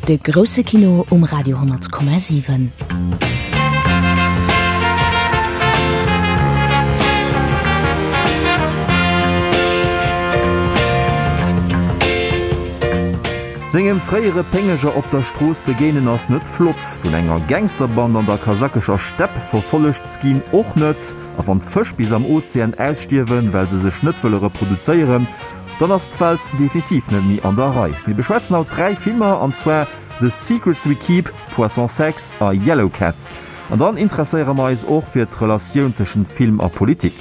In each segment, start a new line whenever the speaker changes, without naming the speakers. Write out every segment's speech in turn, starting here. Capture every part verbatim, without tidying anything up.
De grousse Kino um Radio honnert Komma siwen.
Sengem fréiere Péngeger op der Strooss begéinen ass net flott, vun enger Gangsterband an der kasakescher Stepp verfollegt z'ginn och net, a wann d'Fësch bis am Ozean ausstierwen, well se sech net wëlle reproduzéieren, dann ass d'Welt definitiv net méi an der Rei. Mir beschwätzen haut dräi Filmer, an zwar The Secrets We Keep, Poisson Sex a Yellow Cat. An dann interesséiere mer eis och fir d'Relatioun tëschent Film a Politik.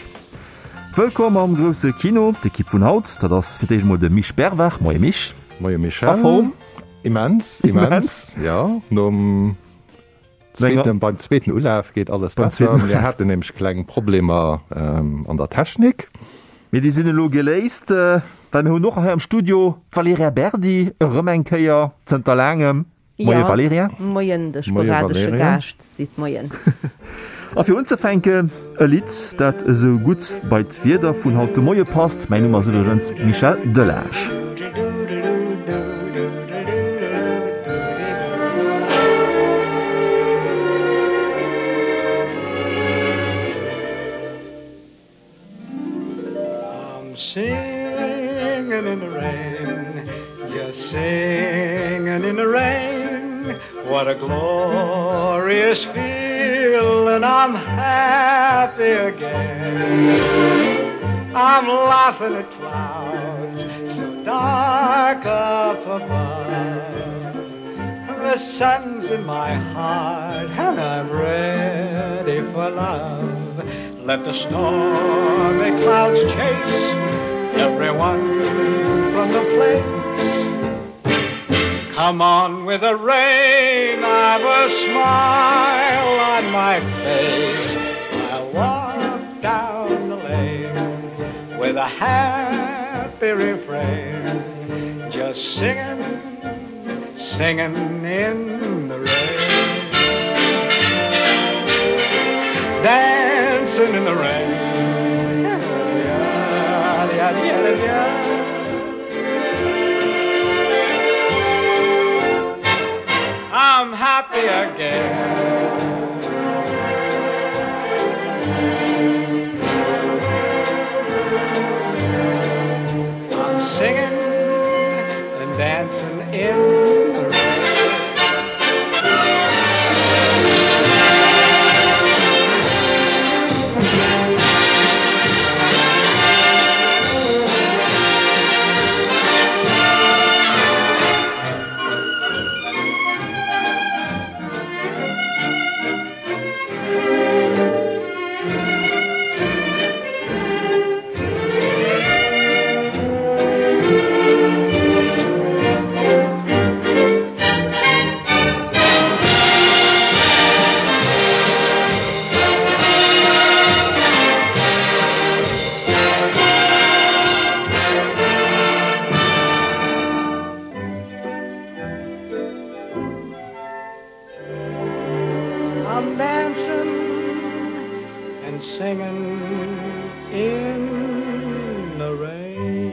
Wëllkomm am grousse Kino, d'Ekipp vun haut, dat ass fir d'éischt emol de Misch Bervard. Moie Misch.
Moie Michel.
A Form?
Immens, immens. Jo, nom zweeten, beim zweeten Ulaf geet alles besser. Mir haten nämlech kleng Problemer an der Technik.
Mee déi sinn elo geléist, well mir hunn och hei am Studio d'Valerija Berdi erëm eng Kéier zënter laangem. Moie Valerija.
Moien, de sporadesche Gaascht seet Moien.
A fir unzefänken e Lidd, dat esou gutt bei d'Wieder vun haut de Moie passt. Mäin Numm ass iwwregens Michel Delage.
I'm singing in the rain, just singing in the rain. What a glorious feeling, I'm happy again. I'm laughing at clouds so dark up above. The sun's in my heart and I'm ready for love. Let the stormy clouds chase everyone from the place. Come on with the rain, I've a smile on my face. I'll walk down the lane with a happy refrain, just singing, singing in the rain. Dancing in the rain. I'm happy again. I'm singing and dancing in the rain. I'm dancing and singing in the rain.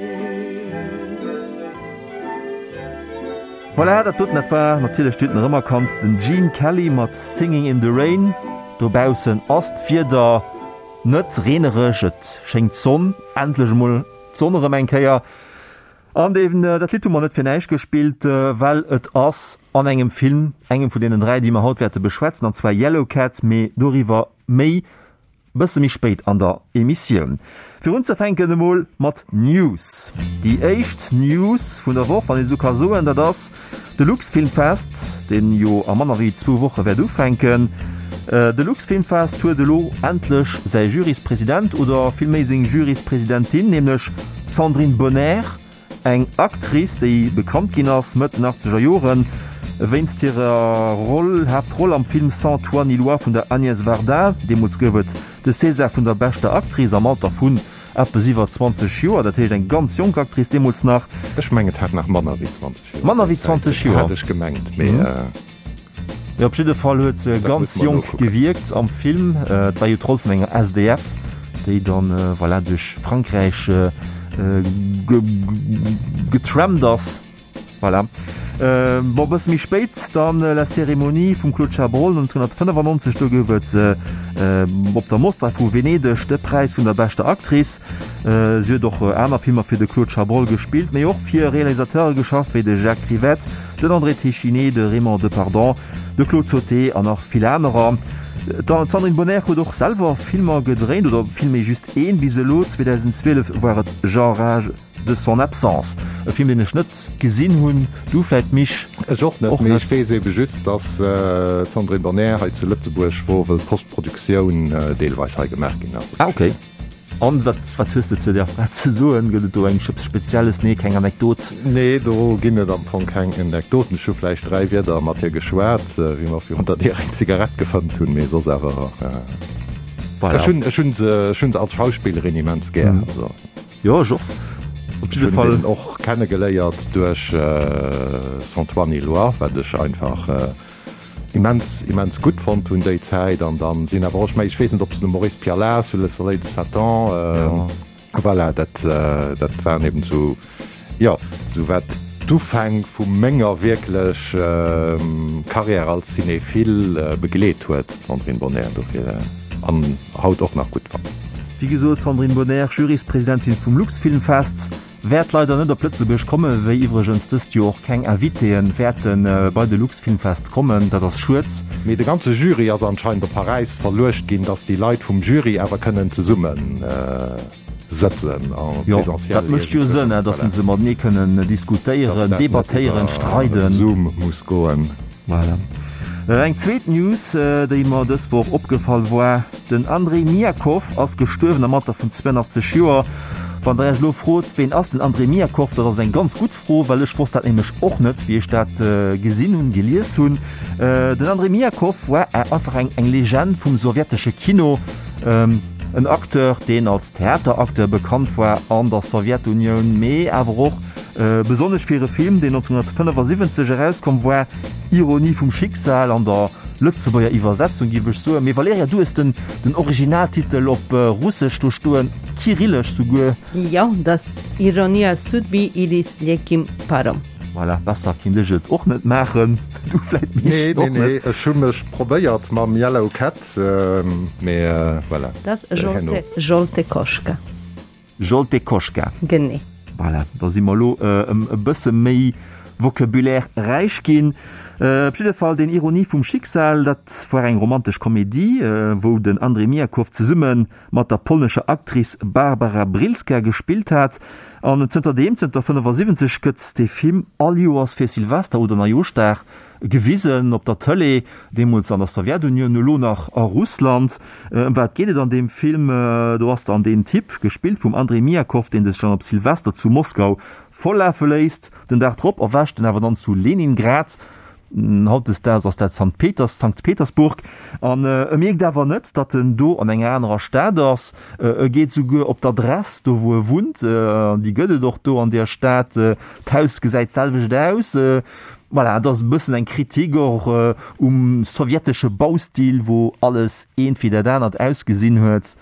Voilà, dat doten, dat war natierlech, Dir hutt en erëmerkannt, den Gene Kelly mat Singing in the Rain. Dobaussen ass d'Wieder net reenereg, et schéngt d'Sonn, endlech emol d'Sonn erëm eng Kéier. An deen, dat Lidd hu mer net fir näischt gespillt, well et ass an engem Film, engem vun deenen dräi, déi mer haut wäerte beschwätzen, an zwar Yellow Cat, mee doriwwer méi bësse méi spéit an der Emissioun. Fir unzefänken emol mat News. Déi éischt News vun der Woch, wann een esou ka soen, dat ass de Luxfilmfest, deen jo a manner wéi zwou Woche wäert ufänken. De Luxfilmfest huet elo endlech säi Juryspresident, oder villméi seng Juryspresidentin, nämlech d'Sandrine Bonnaire. Eng Actrice, déi bekannt ginn ass Mëtt den achtzeger Joren wéinst hirer Roll, Haaptroll am Film Sans toi ni loi vun der Agnès Varda. Deemools gouf et de César vun der beschter Actrice am Alter vun eppes iwwer zwanzeg Joer, dat heescht eng ganz jonk Actrice deemools nach.
Ech mengen et hat nach manner wéi zwanzeg Joer.
Manner wéi zwanzeg Joer?
Hat ech gemengt, mee.
Jo, op jidde Fall huet se ganz jonk gewierkt am Film. Et war jo d'Roll vun enger S D F, déi dann, voilà, duerch Frankräich getrampt ass. Voilà. Äh, bon, bësse méi spéit dann äh, La Cérémonie vum Claude Chabrol neunzehnhunnertfënnefannonzeg, do gouf et äh, op der Mostra vu Venedeg de Präis vun der beschter Actrice. Äh, si huet och äh, aner Filmer fir de Claude Chabrol gespillt, mee och fir Realisateure geschafft wéi de Jacques Rivette, den André Téchiné, de Raymond Depardon, de Claude Sauté an nach vill anerer. D'Sandrine Bonnaire huet och selwer Filmer gedréint, oder villméi just een bis elo, zweedausendzwielef war et J'enrage de son absence, e Film deen ech net gesinn hunn, du vläit Mich?
Ech och net, mee ech weess ebe just, dass d'Sandrine Bonnaire hei zu Lëtzebuerg wor, wëll d'Postproduktioun deelweis hei gemaach ginn ass.
Ah ok. An wat, wat hues de zu där Fra ze soen? Gëtt et do eng eppes Spezielles? Nee, keng Anekdot?
Nee, do ginn et am Fong keng Anekdoten. Ech hu vläicht dräi Wierder mat hir geschwat, wéi mer virun der Dier eng Zigarett gefëmmt hunn, mee soss awer. Voilà. Ech hunn, ech hunn se, ech hunn se als Schauspillerin immens gär. Mhm.
Also. Jo, ech och.
Op jidde Fall. Ech hunn och kennegeléiert duerch Sans toi ni loi, wat ech einfach immens immens gutt fonnt hunn déi Zäit an dann sinn awer och, ech mengen, ech weess net ob se de Maurice Pialat sous le soleil de Satan, ja. Voilà, dat dat waren eben sou, jo, sou wat d'Ufäng vu menger wierklech Carrière als Cinéphile begleet huet, d'Sandrine Bonnaire, dofir an haut och nach gutt fannen.
Wéi gesot, Sandrine Bonnaire, Juryspresidentin vum Luxfilmfest. Wäert leider net op Lëtzebuerg kommen, wéi iwwregens dëst Joer och keng Invitéen wäerten bei de Luxfilmfest kommen. Dat ass schued.
Mee de ganze Jury ass anscheinend op Paräis verluecht ginn, dass déi Leit vum Jury awer kënnen zesumme sëtzen en
Jo,
présentiel.
dat mécht jo Sënn, dass se matenee kënnen diskutéieren, debattéieren, streiden.
Zoom muss goen.
Voilà. Eng zweet News, déi mer dës Woch opgefall war, Den Andrei Miakow ass gestuerwen am Alter vun zweiundachtzeg Joer. Wann der Iech elo frot, ween ass den Andrei Miakow, dat ass eng ganz gutt Fro, well ech wosst dat nämlech och net, wéi ech dat gesinn hunn, gelies hunn. Den Andrei Miakow war einfach eng eng Legend vum sowjetesche Kino, en Acteur, deen als Theateracteur bekannt war an der Sowjetunioun, mee awer och Besonnesch fir e Film, deen neunzehnhunnertfënnefasiwwenzeg erauskomm war, Ironie vum Schicksal an der Lëtzebuerger Iwwersetzung, géif ech soen. Mee Valerija, du hues den den Originaltitel op Russesch do stoen, kyrillesch souguer.
Jo, dat ass Ironia sudby ili s lekim parom.
Voilà, besser kinnt ech et och net maachen. Du vläit, Misch,
Nee,
och
nee, nee,
net.
ech hu mech probéiert mam Yellow Cat, mee voilà.
Dat ass Zsolte Koschka.
Zsolte Koschka.
Genee.
Voilà, da si mer elo e bësse méi Vocabulaire räich ginn. Op jidde Fall, den Ironie vum Schicksal, dat war eng romantesch Komedie, wou den André Miakow zesumme mat der polnescher Actrice Barbara Brylska gespillt hat. An zënterdeem, zënter fënnefasiwwenzeg, gëtt dee Film all Joers fir Silvester oder Neijooschdag gewisen op der Tëlee, deemools an der Sowjetunioun, elo nach a Russland. Ëm wat geet et an deem Film? Do ass dann deen Typ, gespillt vum Andrei Miakow, deen sech dann op Silvester zu Moskau volllafe léisst. Den Dag drop erwächt en awer dann zu Leningrad, hautdesdaags ass dat Sankt Peters, Sankt Petersburg, an e mierkt awer net, datt en do an enger anerer Stad ass. E geet souguer op d'Adress, do wou e wunnt, an déi gëtt et och do an där Stad. D'Haus gesäit d'selwecht aus. Voilà, et ass e bëssen eng Kritik och um sowjetesche Baustil, wou alles eent wéi dat anert ausgesinn huet.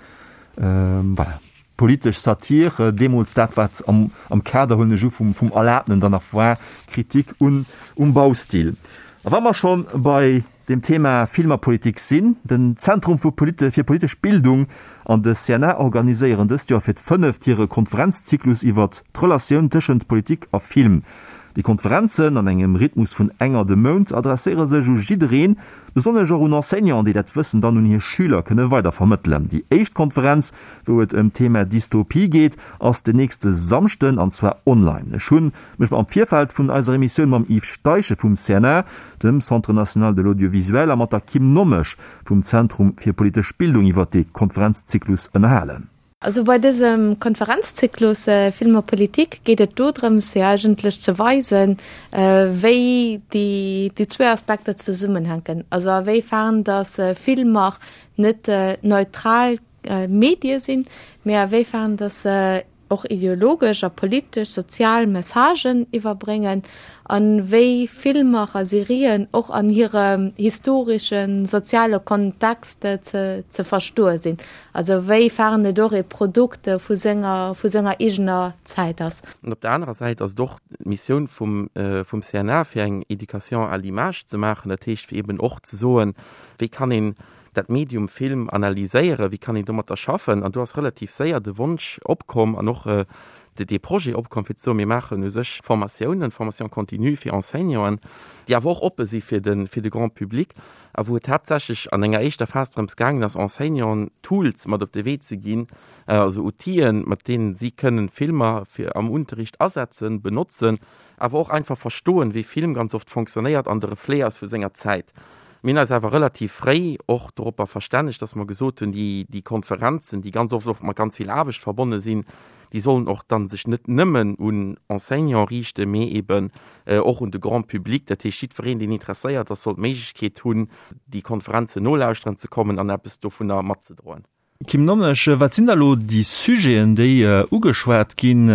Voilà, politesch Satir, deemools dat, wat am, am Kader, huelen ech u, vum, vum Erlabnen dann nach war, Kritik un, um Baustil. A wa mer schonn bei dem Thema Film a Politik sinn, Den Zentrum fir politesch Bildung an de C N A organiséieren dëst Joer fir d'fënneft hire Konferenzzyklus iwwert d'Relatioun tëschent Politik a Film. Déi Konferenzen, an engem Rhythmus vun enger de Mount, adresséiere sech u jiddereen, besonnesch och un Enseignanten, déi dat Wëssen dann un hir Schüler kënne weidervermëttelen. Déi éischt Konferenz, wou et ëm d'Thema Dystopie geet, ass den nächste Samschden, an zwar online. Ech hunn mech am Virfeld vun eiser Emissioun mam Yves Steichen vum C N A, dem Centre national de l'audiovisuel, a mat der Kim Nommesch vum Zentrum fir politesch Bildung iwwer dee Konferenzzyklus ënnerhalen.
Also bei dësem Konferenzzyklus Film a Politik geet et dodrëms fir eigentlech ze weisen, wéi déi déi zwee Aspekter zesummenhänken, also a wéi fern datt Filmer net neutral Medie sinn, mee a wéi fern datt se och ideologesch a politesch, sozial Messagen iwwerbréngen an wéi Filmer a Serien och an hirem historeschen, soziale Kontext ze ze verstoe sinn, also wéi fern et och e Produkt vu senger vu senger eegener Zäit ass.
An op der anerer Säit ass et och d'Missioun vum vum C N A fir eng Éducation à l'image ze maachen, dat heescht fir eben och ze soen, wéi kann een dat Medium Film analyséieren, wéi kann een domatter schaffen. An do ass relativ séier de Wonsch opkomm an och de, dee Projet opkomm fir ze soen, mir maachen u sech Formatiounen, Formation continue fir Enseignanten, déi awer och oppe si fir de, fir de Grand public a wou et haaptsächlech an enger éischter Phas drëms gaangen ass, Enseignanten Tools mat op de Wee ze ginn, also Outile mat deenen si kënnen Filmer fir am Unterricht asetzen, benotzen, awer och einfach verstoen, wéi Film ganz oft fonctionnéiert an de Reflet ass vu senger Zäit. Mir hunn eis awer relativ fréi och doropper verstännegt, dass mer gesot hunn, déi, déi Konferenzen, déi ganz oft och mat ganz vill Aarbecht verbonne sinn, déi sollen och dann sech net nëmmen un Enseignant riichten, mee eben och un de Grand public. Dat heescht, jiddwereen, deen interesséiert ass, soll d'Méiglechkeet hunn, déi Konferenzen nolauschteren ze kommen an eppes dovunner matzedroen.
Kim Nommesch, wat sinn da lo déi Sujeten, déi ugeschwat ginn?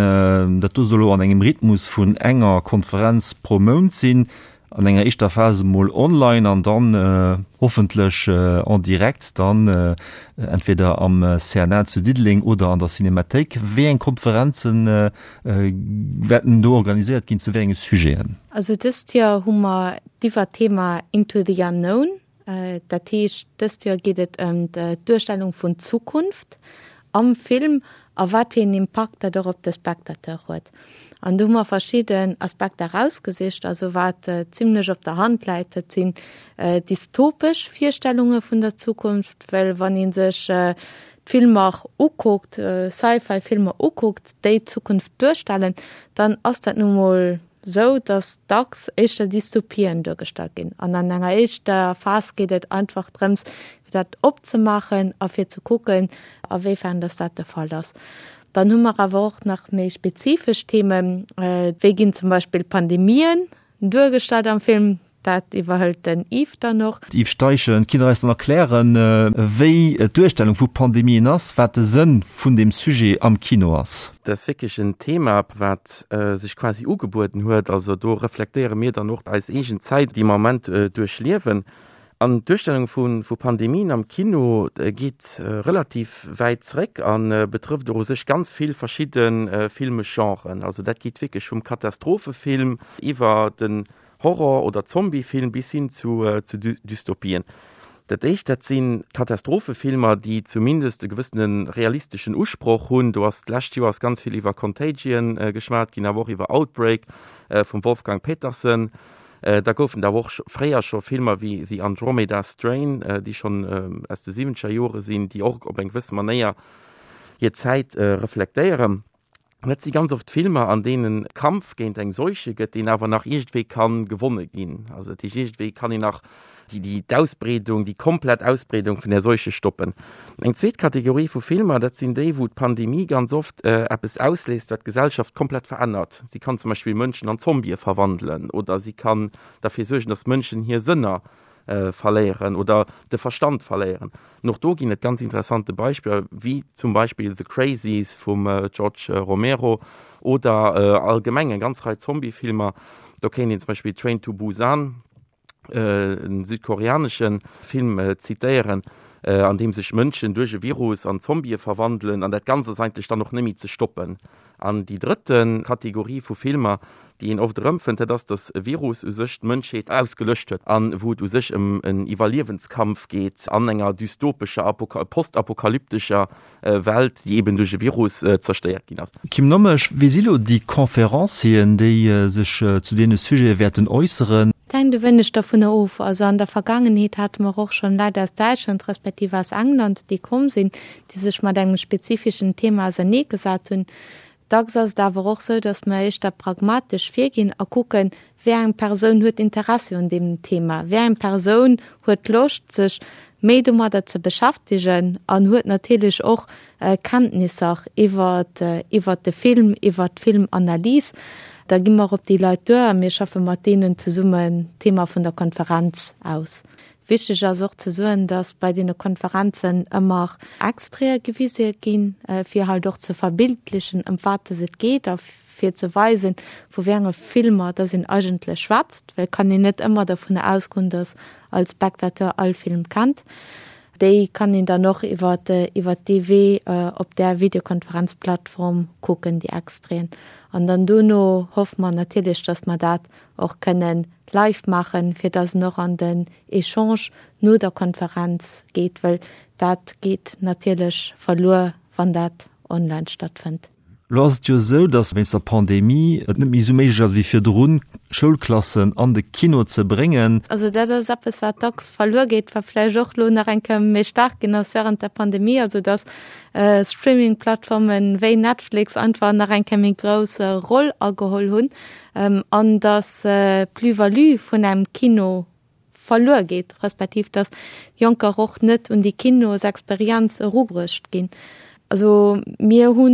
Dat do soll lo an engem Rhythmus vun enger Konferenz pro Mount sinn, an enger éischter Phase mol online an dann hoffentlech en direct dann entweder am C N A zu Diddeleng oder an der Cinemathéik. Wéi eng Konferenzen wäerten do organiséiert ginn, zu wéi enge Sujeten?
Also dëst Joer hu mer d'Iwwerthema Into the Unknown. Dat heescht, dëst Joer geet et ëm d'Duerstellung vun Zukunft am Film a wat fir en Impakt dat och op de Spectateur huet. An do hu mer verschidden Aspekter rausgesicht, also wat zimmlech op der Hand läit, dat sinn dystopesch Virstellunge vun der Zukunft, well wann ee sech d'Filmer ukuckt, Sci-Fi-Filmer ukuckt, déi d'Zukunft duerstellen, dann ass dat nu mol sou, dass dacks éischter Dystopien duergestallt ginn. An an enger éischter Phas geet et einfach drëms, fir dat opzemaachen a fir ze kucken, a wéifern dass dat de Fall ass. Dann hu mer awer och nach méi spezifesch Themen, wéi ginn zum Beispill Pandemien duergestallt am Film, dat iwwerhëlt den Yves dann och.
Yves Steichen, kinnt Der eis dann erklären, wéi d'Duerstellung vu Pandemien ass, wat de Sënn vun deem Sujet am Kino ass?
Dat ass wierklech en Thema, wat sech quasi ugebueden huet. Also do reflektéiere mir dann och eis eegen Zäit, déi mer am Moment duerchliewen. An d'Duerstellung vu, vu Pandemien am Kino geet relativ wäit zréck a betrëfft och u sech ganz vill verschidde filmesch Genren. Also dat geet wierklech vum Katastrophefilm iwwer den Horror- oder Zombiefilm bis hin zu, zu Dystopien. Dat éischt, dat sinn Katastrophefilmer, déi zumindest e gewëssene realisteschen Usproch hunn. Do ass d'lescht Joer ass ganz vill iwwer Contagion geschwat ginn, awer och iwwer Outbreak vum Wolfgang Petersen. Da goufen da och fréier scho Filmer wéi The Andromeda Strain, déi schonn aus de siwwenzeger Jore sinn, déi och op eng gewësse Manéier hir Zäit reflektéieren. Dat si ganz oft Filmer, an deenen Kampf géint eng Seuche gëtt, deen awer nach iergendwéi kann gewonne ginn. Also dat heescht, iergendwéi kann een nach déi, déi d'Ausbreedung, déi komplett Ausbreedung vun der Seuche stoppen. Eng zweet Kategorie vu Filmer, dat sinn déi, wou d'Pandemie ganz oft eppes ausléist, wat d'Gesellschaft komplett verännert. Si kann zum Beispill Mënschen an Zombië verwandelen oder si kann derfir suergen, dass Mënschen hir Sënner verléieren oder de Verstand verléieren. Und och do ginn et ganz interessante Beispiller, wéi zum Beispill The Crazies vum George Romero oder allgemeng eng ganz Rei Zombie-Filmer. Do kéint een zum Beispill Train to Busan, en südkoreanesche Film, zitéieren, an deem sech Mënschen duerch e Virus an Zombië verwandelen an dat Ganzt ass eigentlech dann och net méi ze stoppen. An déi drëtte Kategorie vu Filmer, déi een oft erëmfënnt, dat ass, datt e Virus u sech d'Mënschheet ausgelöscht huet an wou et u sech ëm en Iwwerliewenskampf geet an enger dystopescher, postapokalyptescher Welt, déi eben duerch e Virus zerstéiert ginn ass.
Kim Nommesch, wéi si lo déi Conférencieren, déi sech zu deene Sujete wäerten äusseren?
Et hänkt e wéineg dovunner of. Also an der Vergaangenheet hate mer och schonn Leit aus Däitschland respektiv aus England, déi komm sinn, déi sech mat engem spezifeschen Thema auserneegesat hunn. Dacks ass et awer och sou, datt mer éischter pragmatesch virginn a kucken, wéi eng Persoun huet Interessi un deem Thema, wéi eng Persoun huet Loscht, sech méi domadder ze beschäftegen an huet natierlech och Kenntnisser iwwer iwwer de Film, iwwer d'Filmanalys. Da gi mer op déi Leit duer a mir schaffe mat deenen zesummen d'Thema vun der Konferenz aus. Wichteg ass och ze soen, dass bei deene Konferenzen ëmmer Extraite gewise ginn, fir halt och ze verbildlechen, ëm wat dass et geet a fir ze weisen, vu wéi enge Filmer dass een eigentlech schwätzt, well et kann een net ëmmer dovunner ausgoen, dass all Spectateur all Film kennt. Déi kann een dann och iwwer iwwer dee Wee op där Videokonferenzplattform kucken, déi Extraiten. An dann dono hoffe mer natierlech, dass mer dat och kënnen live maachen, fir dass en och an den Echange no der Konferenz geet, well dat geet natierlech verluer, wann dat online stattfënnt.
Elo ass et jo esou, datt wéinst der Pandemie et net méi esou méiglech ass wéi virdrun, Schoulklassen an de Kino ze bréngen.
Also dat ass eppes, wat dacks verluer geet, wat vläicht och elo nach eng Kéier méi staark ginn ass während der Pandemie, also datt Streaming-Plattformen wéi Netflix einfach nach eng Kéier méi grouss Roll ageholl hunn an datt d'Plus-value vun engem Kino verluer geet, respektiv datt Jonker och net un déi Kinosexperienz erubruecht ginn. Also mir hu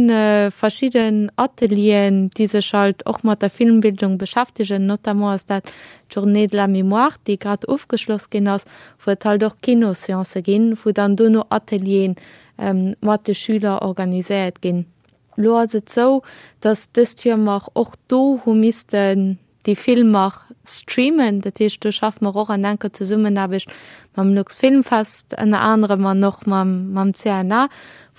verschidden Atelieren, déi sech halt och mat der Filmbildung beschäftegen, notamment ass dat d'Journée de la mémoire, déi grad ofgeschloss ginn ass, wou et halt och Kinosseancë ginn, wou dann dono Ateliere mat de Schüler organiséiert ginn. Lo ass et sou, datt dëst Joer mer och do hu missten déi Filmer streamen. Dat heescht, do schaffe mer och an enker Zesummenaarbecht mam Luxfilmfest ënner anerem an och mam, mam CNA,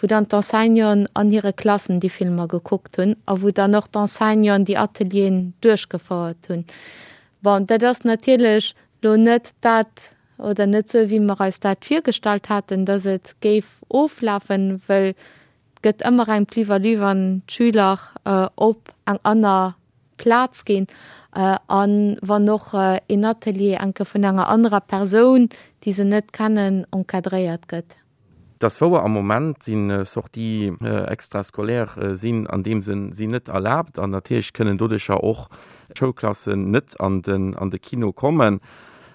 wou dann d'Enseignanten an hire Klassen déi Filmer gekuckt hunn a wou dann och d'Enseignanten déi Atelieren duerchgefouert hunn. Bon, dat ass natierlech lo net dat oder net sou, wéi mer eis dat virgestallt haten, dass et géif oflafen, well et gëtt ëmmer eng Plus-value, wann d'Schüler op eng aner Plaz ginn an wann och een Atelier enke vun enger anerer Persoun, déi se net kennen, encadréiert gëtt.
Et ass wouer, am Moment si Sorties extrascolaires sinn an deem Sënn sinn net erlaabt an natierlech kënnen doduercher och Schoulklassen net an den an de Kino kommen.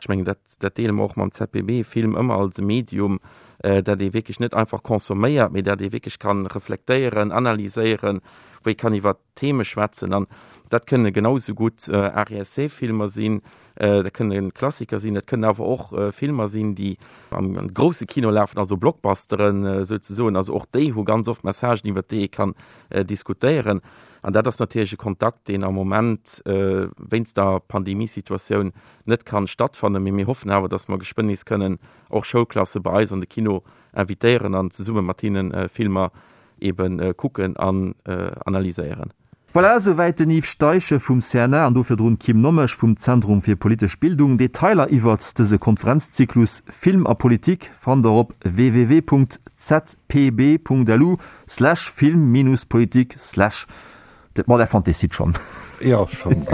Ech mengen, dat dat deele mer och mam ZPB, Film ëmmer als e Medium, dat ee wierklech net einfach consomméiert, mee dat ee wierklech kann reflektéieren, analyséieren, wou ee kann iwwer Theme schwätzen. An dat kënne genau esou gutt Art-et-Essai-Filmer sinn, dat kënne Klassiker sinn, dat kënnen awer och Filmer sinn, déi am grousse Kino lafen, also Blockbusteren souzesoen. Also och déi hu ganz oft Messagen, iwwer déi ee kann diskutéieren. An dat ass natierlech e Kontakt, deen am Moment wéinst der Pandemiesituatioun net kann stattfannen. Mee mir hoffen awer, dass mer geschwënn nees kënnen och Schoulklasse bei eis an de Kino invitéieren an zesumme mat hinne Filmer ebe kucken an analyséieren.
Voilà, esouwäit den Yves Steichen vum CNA an do virdrun d'Kim Nommesch vum Zentrum fir politesch Bildung. Detailer iwwert dëse Konferenzzyklus Film a Politik fannt der op www.zpb.lu slash film-politik slash. Ma der fannt dee Site schonn.
Jo, schonn.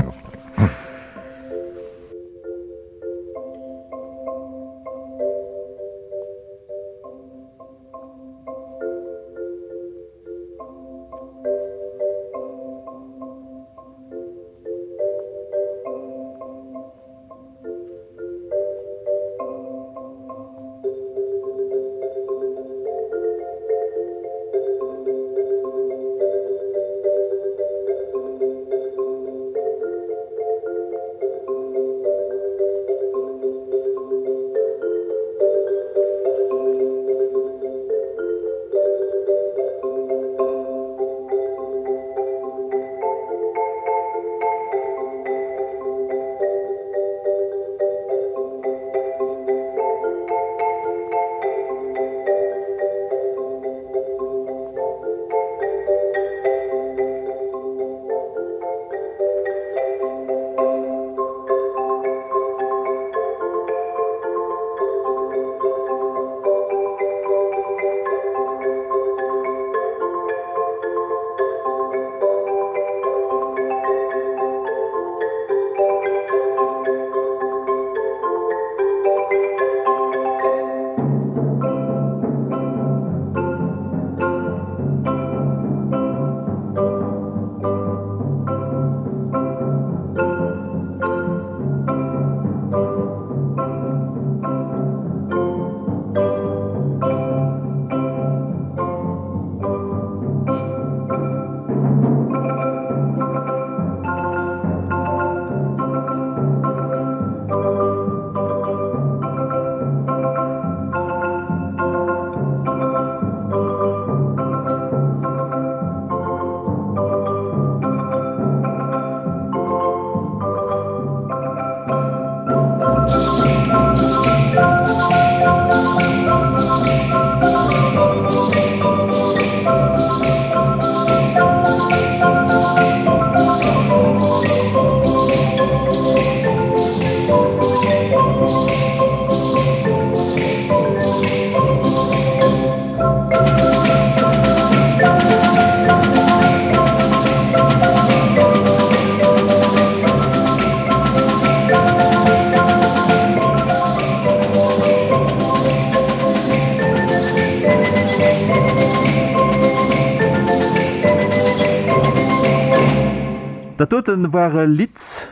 Dat doten war e Lidd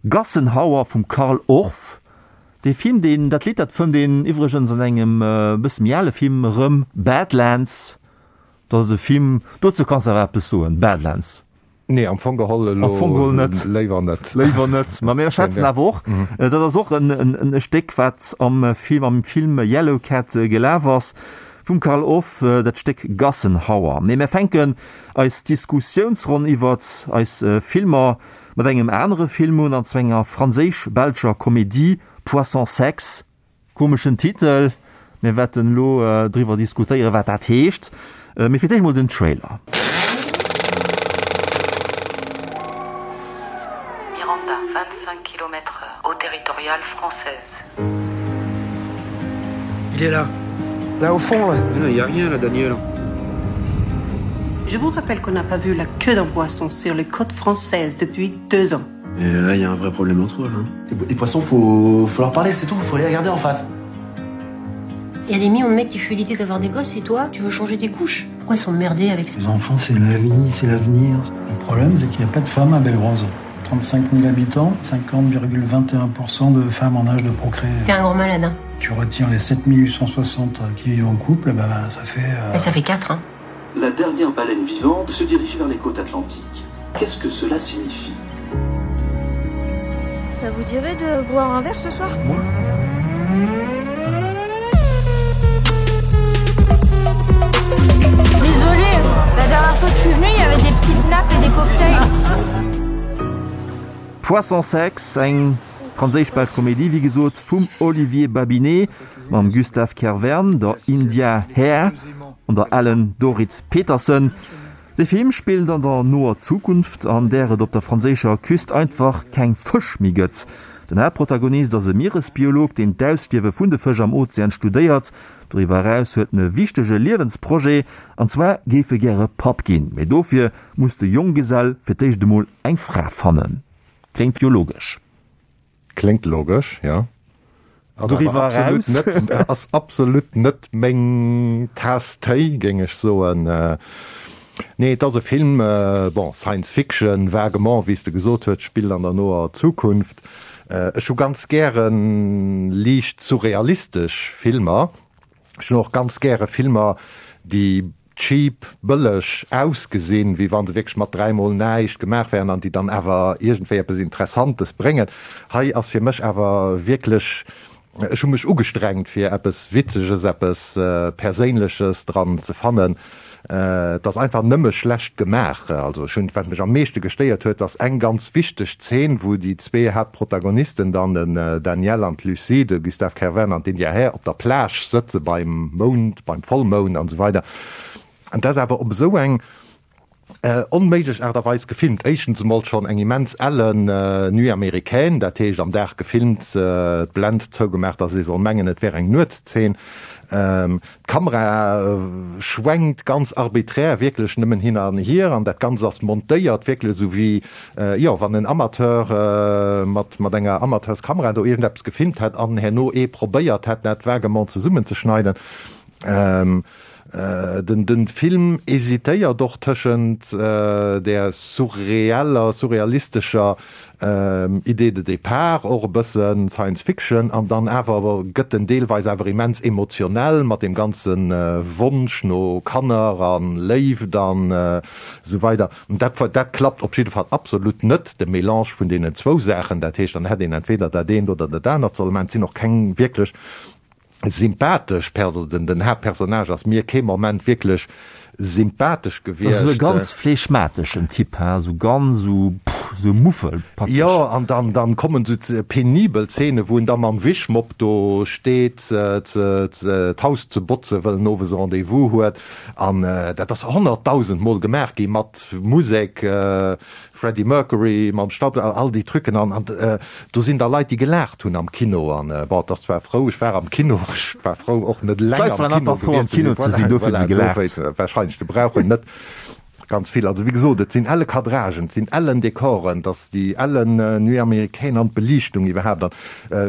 Gassenhauer vum Carl Orff. Dee Film, deen, dat Lidd, dat fënnt een iwwregens an engem bësse méi ale Film erëm, Badlands. Dat ass e Film, dozou kanns de awer eppes soen, Badlands.
Nee, am Fong geholl elo
Am Fong geholl net.
Léiwer net.
Léiwer net. Ma mir schwätzen awer och, dat ass och en, en, e Stéck, wat am Film, am Film Yellow Cat gelaf ass, vum Carl Orff, dat Stéck Gassenhauer. Mee mir fänken eis Diskussiounsronn iwwert eis Filmer mat engem anere Film un, an zwar enger franséisch-belscher Komedie, Poisson Sexe. Komeschen Titel, mir wäerten elo driwwer diskutéieren, wat dat heescht. Mee fir d'éischt mol den Trailer.
Miranda, vingt-cinq kilomètres heure, eau territoriale française.
Il est là. Là au fond, là.
Mais non, il y a rien là, Daniel.
Je vous rappelle qu'on n'a pas vu la queue d'un poisson sur les côtes françaises depuis deux ans.
Et là, il y a un vrai problème entre eux, là. Les poissons, faut, faut leur parler, c'est tout, faut les regarder en face.
Il y a des millions de mecs qui fuient l'idée d'avoir des gosses et toi, tu veux changer tes couches. Pourquoi s'emmerder avec ça?
Les enfants, c'est la vie, c'est l'avenir. Le problème, c'est qu'il n'y a pas de femmes à Bellerose. trente-cinq mille habitants, cinquante virgule vingt et un pour cent de femmes en âge de procréer.
T'es un grand malade, hein.
Tu retires les sept mille huit cent soixante qui vivent en couple, bah, ça fait, euh,
Et ça fait quatre, hein.
La dernière baleine vivante se dirige vers les côtes atlantiques. Qu'est-ce que cela signifie?
Ça vous dirait de boire un verre ce soir?
Moi?
Désolée, la dernière fois que je suis venue, il y avait des petites nappes et des cocktails.
Poisson Sexe, eng franséisch-belsch Komedie, wéi gesot, vum Olivier Babinet, mam Gustave Kervern, der India Hair an der Ellen Dorit Petersen. De Film spillt an der noer Zukunft, an där et op der franséischer Küst einfach keng Fësch méi gëtt. Den Haaptprotagonist ass e Mieresbiolog, deen d'Ausstierwe vun de Fësch am Ozean studéiert. Doriwwer eraus huet en e wichtege Liewensprojet, an zwar géif e gäre Papp ginn. Mee dofir muss de Jonggesell fir d'éischt emol eng Fra fannen. Kléngt jo logesch.
Kléngt logesch, ja. Ass awer
Doriwwer
absolut
eraus?
net, ass absolut net meng Taass Téi, géing ech soen. Nee, et ass e Film, bon, Science Fiction, vaguement, wéi s de gesot hues, spillt an der noer Zukunft. Ech hu ganz gäre liicht surrealistesch Filmer. Ech hunn och ganz gäre Filmer, déi cheap, bëlleg ausgesinn, wéi wann se wierklech mat dräimol näischt gemaach wären an déi dann awer iergendwéi eppes Interessantes bréngen. Hei ass fir mech awer wierklech, ech hu mech ugestrengt, fir eppes Witzeges, eppes Perséinleches dran ze fannen. Et ass einfach nëmme schlecht gemaach. Also ech hunn, wat mech am meeschte gestéiert huet, ass eng ganz wichteg Zeen, wou déi zwee Haaptprotagonisten dann, den Daniel an d'Lucie, de Gustave Kervern an d'India Hair, op der Plage sëtze beim Mound, beim Vollmound an esou weider. An dat ass awer op esou eng onméiglech Aart a Weis gefilmt. Éischtens emol schonn eng immens ellen Nuit américaine, dat heescht am Dag gefilmt, d'Blend zougemaach, dass ee soll mengen, et wär eng Nuetszeen. D'Kamera schwenkt ganz arbiträr wierklech nëmmen hin an hier an dat Ganzt ass montéiert wierklech esou wéi, jo, wann en Amateur mat, mat enger Amateurskamera do iergendeppes gefilmt hätt an herno ee probéiert hätt, dat vaguement zesummenzeschneiden. Den, den Film hésitéiert och tëschent där surreeller, surrealistescher Idée de départ, och e bësse Science Fiction, an dann awer gëtt en deelweis awer immens emotionell mat deem ganze Wonsch no Kanner a Léift an esou weider. An dat, dat klappt op jidde Fall absolut net, de Mélange vun deenen zwou Saachen. Dat heescht, dann hätt een entweder dat eent oder dat anert solle maachen. Et sinn och keng wierklech sympathesch Perso, den, den Haaptpersonnage ass mir kee Moment wierklech sympathesch
Das ass esou e
gewiescht.
ganz flegmateschen Typ, he, esou ganz esou, pff, esou Muffel praktesch.
Jo, an dann, dann kommen esou penibel Szenen, wou en da mam Wischmopp do steet, ze, ze, d'Haus ze botzen, well en owes e Rendez-vous huet. An dat ass honnertdausend Mol gemaach gi mat Musek, Freddie Mercury mam Staub, all déi Trucken an an do sinn da Leit déi gelaacht hunn am Kino an bon, et ass zwar frou, ech war am Kino, ech war frou och net eleng
D'Leit
am
waren
Kino
einfach frou am
gewiescht ze
Kino
sinn,
ze sinn,
voilà,
dofir hu se
voilà,
gelaacht.
dofir wahrscheinlech, de brauch en net. Ganz vill. Also wéi gesot, et sinn elle Cadragen, et sinn ellen Dekoren, et ass déi ellen Nuit américaine an d'Beliichtung iwwerhaapt an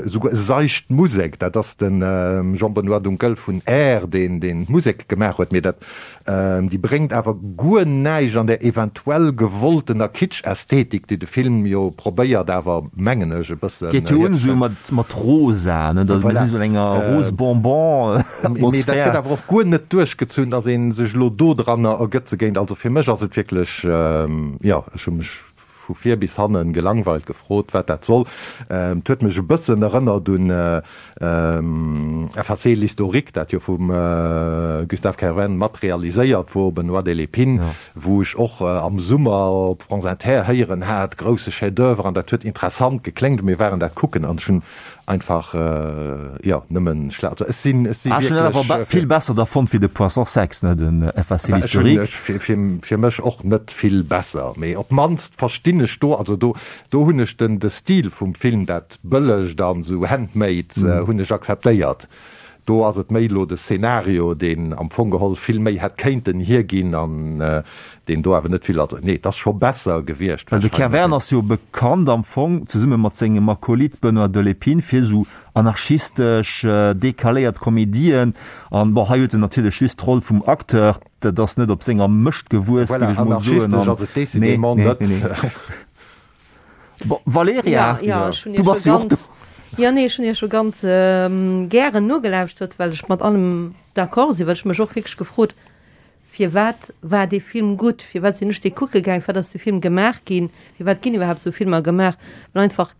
esouguer seicht Musek. Dat ass de Jean-Benoît Dunkel vun Air, deen deen d'Musek gemaach huet, mee dat déi bréngt awer guer näischt an där eventuell gewolltener Kitsch-Ästhetik, déi de Film jo probéiert awer, mengen ech, e bëssen
Geet jo un esou mat mat rosa, ne, da si sou an enger rose bonbon
Atmosphär. Mee dat gëtt awer och guer net duerchgezunn, datt ee sech elo dodranner ergëtze géint. Also fir mech ass et wierklech, jo, ech hu mech vu vir bis hannen gelangweilt, gefrot, wat dat soll. Et huet mech e bëssen erënnert un Effacer l'historique, dat jo vum Gustave Kervern mat realiséiert wor, Benoît Delépine, wou ech och am Summer op France Inter héieren hat, grousse Chef-d'oeuvre, an dat huet interessant gekléngt. Mir waren dat kucken an ech hunn einfach, jo, nëmmen schla-, also ech sinn, ech si
Ah, ech hunn dat awer
wierklech.
vill besser da fonnt wéi de Poisson sexe, ne, den Effacer
Ech hunn,
l'historique.
ech, fir, fir, fir mech och net vill besser, mee op d'mannst verstinn ech do, also do, do hunn ech den, de Stil vum Film, dat Bëllegt an esou handmade, hunn ech akzeptéiert. Do ass et méi elo de Szenario, deen am Fong geholl vill méi hätt kéinten hierginn an deen do awer net vill, also nee, et ass scho besser gewiescht
Well de
wahrscheinlech.
Kervern ass jo bekannt am Fong, zesumme mat sengem Akolyt Benoît Delépine, fir esou anarchistesch, decaléiert Komedien. An bon, hei huet en natierlech just d'Roll vum Acteur, dat ass net op senger Mëscht gewuess,
Voilà,
géif ech mol soen.
anarchistesch
An
ass et
nee,
décidément
nee,
net.
nee, nee. Bon, Valerija,
Ja, ja, ech hunn
du
Iech
bass
scho
jo och do.
ganz, ja, nee, ech hunn Iech scho ganz gären nogelauschtert, well ech mat allem d'accord sinn, well ech mech och wierklech gefrot, firwat war dee Film gutt, firwat sinn ech dee kucke gaang, firwat ass dee Film gemaach ginn, firwat ginn iwwerhaapt esou Filmer gemaach, well einfach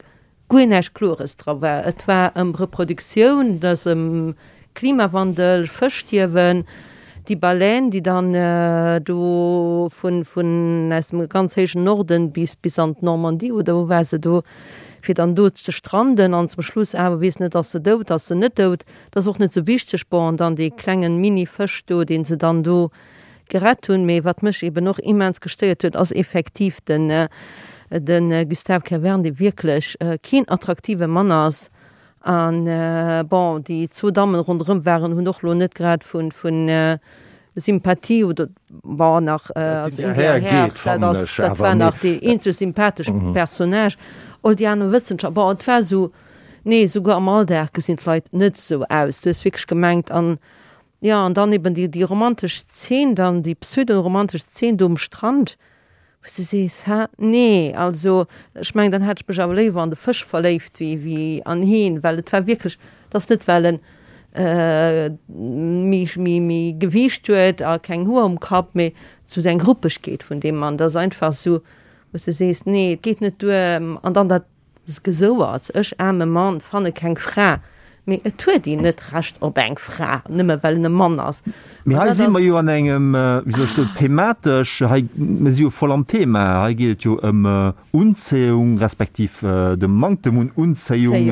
guer näischt Klores dra war. Et war ëm Reproduktioun, et ass ëm Klimawandel, Fëschstierwen, déi Baleine, déi dann do vun, vun aus dem ganz héijen Norden bis, bis an d'Normandie oder wou war se do, fir dann do ze stranden an zum Schluss awer weess net, ass se dout, ass se net dout, dat ass och net sou wichteg. Bon, an dann dee klengen Mini-Fësch do, dee se dann do gerett hunn. Mee wat mech eben och immens gestéiert huet, ass effektiv den, de Gustave Kervern, dee wierklech keen attraktive Mann ass. An, bon, déi zwou Dammen ronderëm waren, hunn och elo net grad vu Sympathie oder, bon, nach, also India Hair, dat ass, dat war nach dee eenzeg sympathesch Personnage. All déi aner Wëssenschaftler, bon, et war esou, nee, souguer am Alldag gesinn d'Leit net esou aus. Du hues wierklech gemengt, an, jo, an dann eben déi, déi romantesch Zeen dann, déi pseudo-romantesch Zeen do um Strand, wou s de sees, hä, nee, also ech mengen, dann hätt ech mech awer léiwer an de Fësch verléift wéi, wéi an heen, well et war wierklech, et ass net well en méi, méi, méi Gewiicht huet a keng Hoer um Kapp, mee esou eng Ruppegkeet vun deem Mann, dat ass einfach esou, wou s de sees, nee, et geet net duer. An dann dat Gesouerts, ech aarme Mann, fanne keng Fra. Mee et huet een net Recht op eng Fra, nëmme well en e Mann ass.
Mee hei si mer jo an engem, wéi soll ech soen, thematesch, hei, mir si jo voll am Thema, hei geet et jo ëm Unzéiung, respektiv de Manktem un Unzéiung,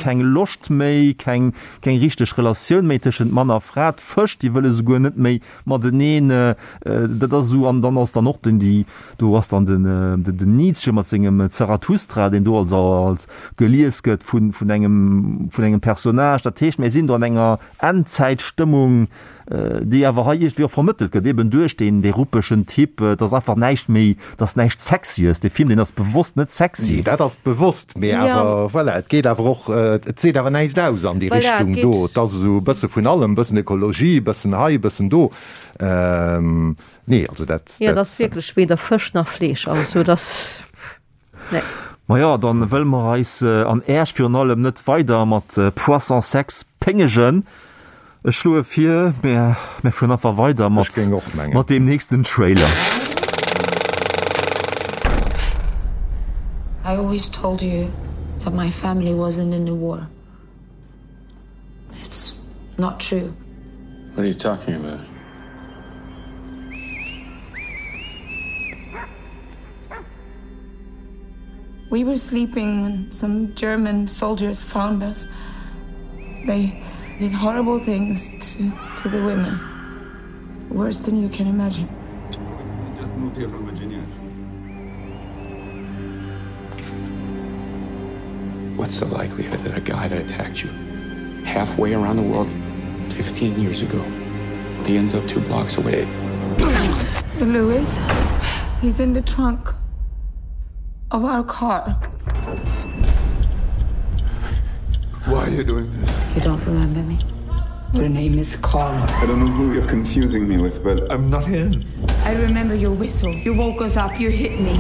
keng Loscht méi, keng, keng richteg Relatioun méi tëschent Mann a Fra, d'Fësch, déi wëlle souguer net méi mateneen, dat ass esou, an dann ass dann och den, déi, do ass dann den, den Nietzsche mat sengem Zarathustra, deen do als, als gelies gëtt vun, vun engem, vun engem Personnage. Dat heescht, mir sinn do an enger Endzäitstëmmung, déi awer hei iergendwéi och vermëttelt gëtt, eben duerch deen, dee ruppegen Typ. Et ass einfach näischt méi, et ass näischt Sexyes. Dee Film, deen ass bewosst net sexy.
Nee, dat ass bewosst, mee awer, voilà, et geet awer och, et seet awer näischt aus an déi Richtung do. Et ass esou e bësse vun allem, e bëssen Ökologie, e bëssen hei, e bëssen do. Nee, also dat,
Jo, et ass wierklech weder Fësch nach Fleesch, also et ass, nee.
Maja, dann wëlle mer eis an Äerch virun allem net weider mat Poisson sexe péngegen. Ech schloe vir, mir mir fueren einfach weider mat mat deem nächsten Trailer.
I always told you that my family wasn't in the war. It's not true.
What are you talking about?
We were sleeping when some German soldiers found us. They did horrible things to, to the women. Worse than you can imagine.
We just moved here from Virginia.
What's the likelihood that a guy that attacked you halfway around the world fifteen years ago, he ends up two blocks away?
Louis? He's in the trunk of our car.
Why are you doing this?
You don't remember me? Your name is Carl.
I don't know who you're confusing me with, but I'm not him.
I remember your whistle. You woke us up, you hit me.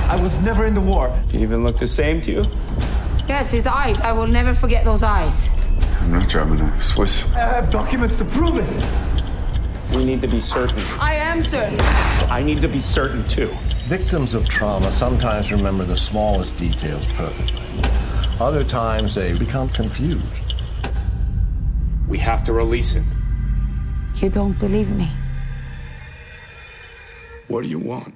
I was never in the war.
He even looked the same to you?
Yes, his eyes. I will never forget those eyes.
I'm not German, I'm Swiss. I have documents to prove it.
We need to be certain.
I am certain.
I need to be certain too.
Victims of trauma sometimes remember the smallest details perfectly. Other times they become confused.
We have to release him.
You don't believe me.
What do you want?